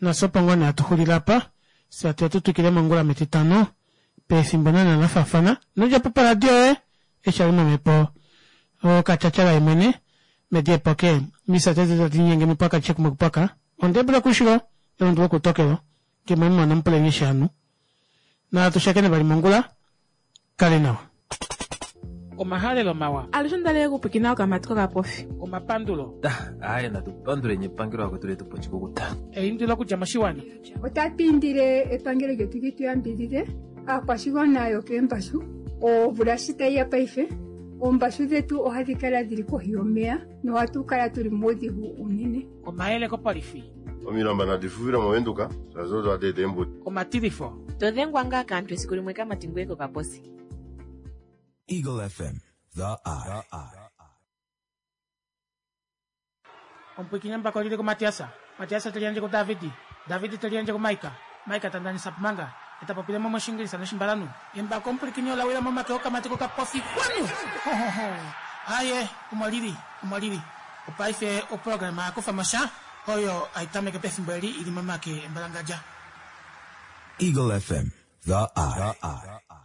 nafye opo ngoo nee hatu xulile apa fye hatu ya tu twikile mongula metitano pefimbo naana la faafana nodjapo paradio yoye eshi ali momhepo okatyatyala yemwene medi epoke misa tete tadi linyenge mupaka chekumwe kupaka ondebula kushilo elundu lokutokelo Kemwemona mupuleni shanu. Natu shakene vali mongula. Kale nawa. Omahalelo mawa. Alushe onda li okupwikina okamati kokapofi. Omapandulo. Aaye natu panduleni epangelo akwetu letu po oshikukuta. Eindilo okudja moshiwana. Otatu indile epangelo lyetu li tu yambidhidhe aakwashigwana yokeembashu. Omvula shi tayi ya paife, oombashu dhetu ohadhi kala dhili kohi yomeya nohatu kala tuli muudhigu uunene. Omayele kopolifi. Omilamba nadi fufile mOvenduka, shaashi odo hadi eta eembudi. Omatilifo. To dhengwa ngaa kaantu esiku limwe kamati ngoye kokaposi. Eagle FM, the eye. Omupwiikini embako lili kuMatiasa, Matiasa te liyandje kuDavidi, Davidi te liyandje kuMaika, Maika ta ndanisa pumanga, e ta popile mo mOshiingilisa nOshimbalanhu. Embako omupwilikini ola wila momake okamati kokapofi kwanu! Hohoho! Aaye, omo lili, omo lili. Opaife oprograma ya kufa mo sha oyo hai tameke pefimbo eli i li momake embalangadja. Eagle FM, the eye.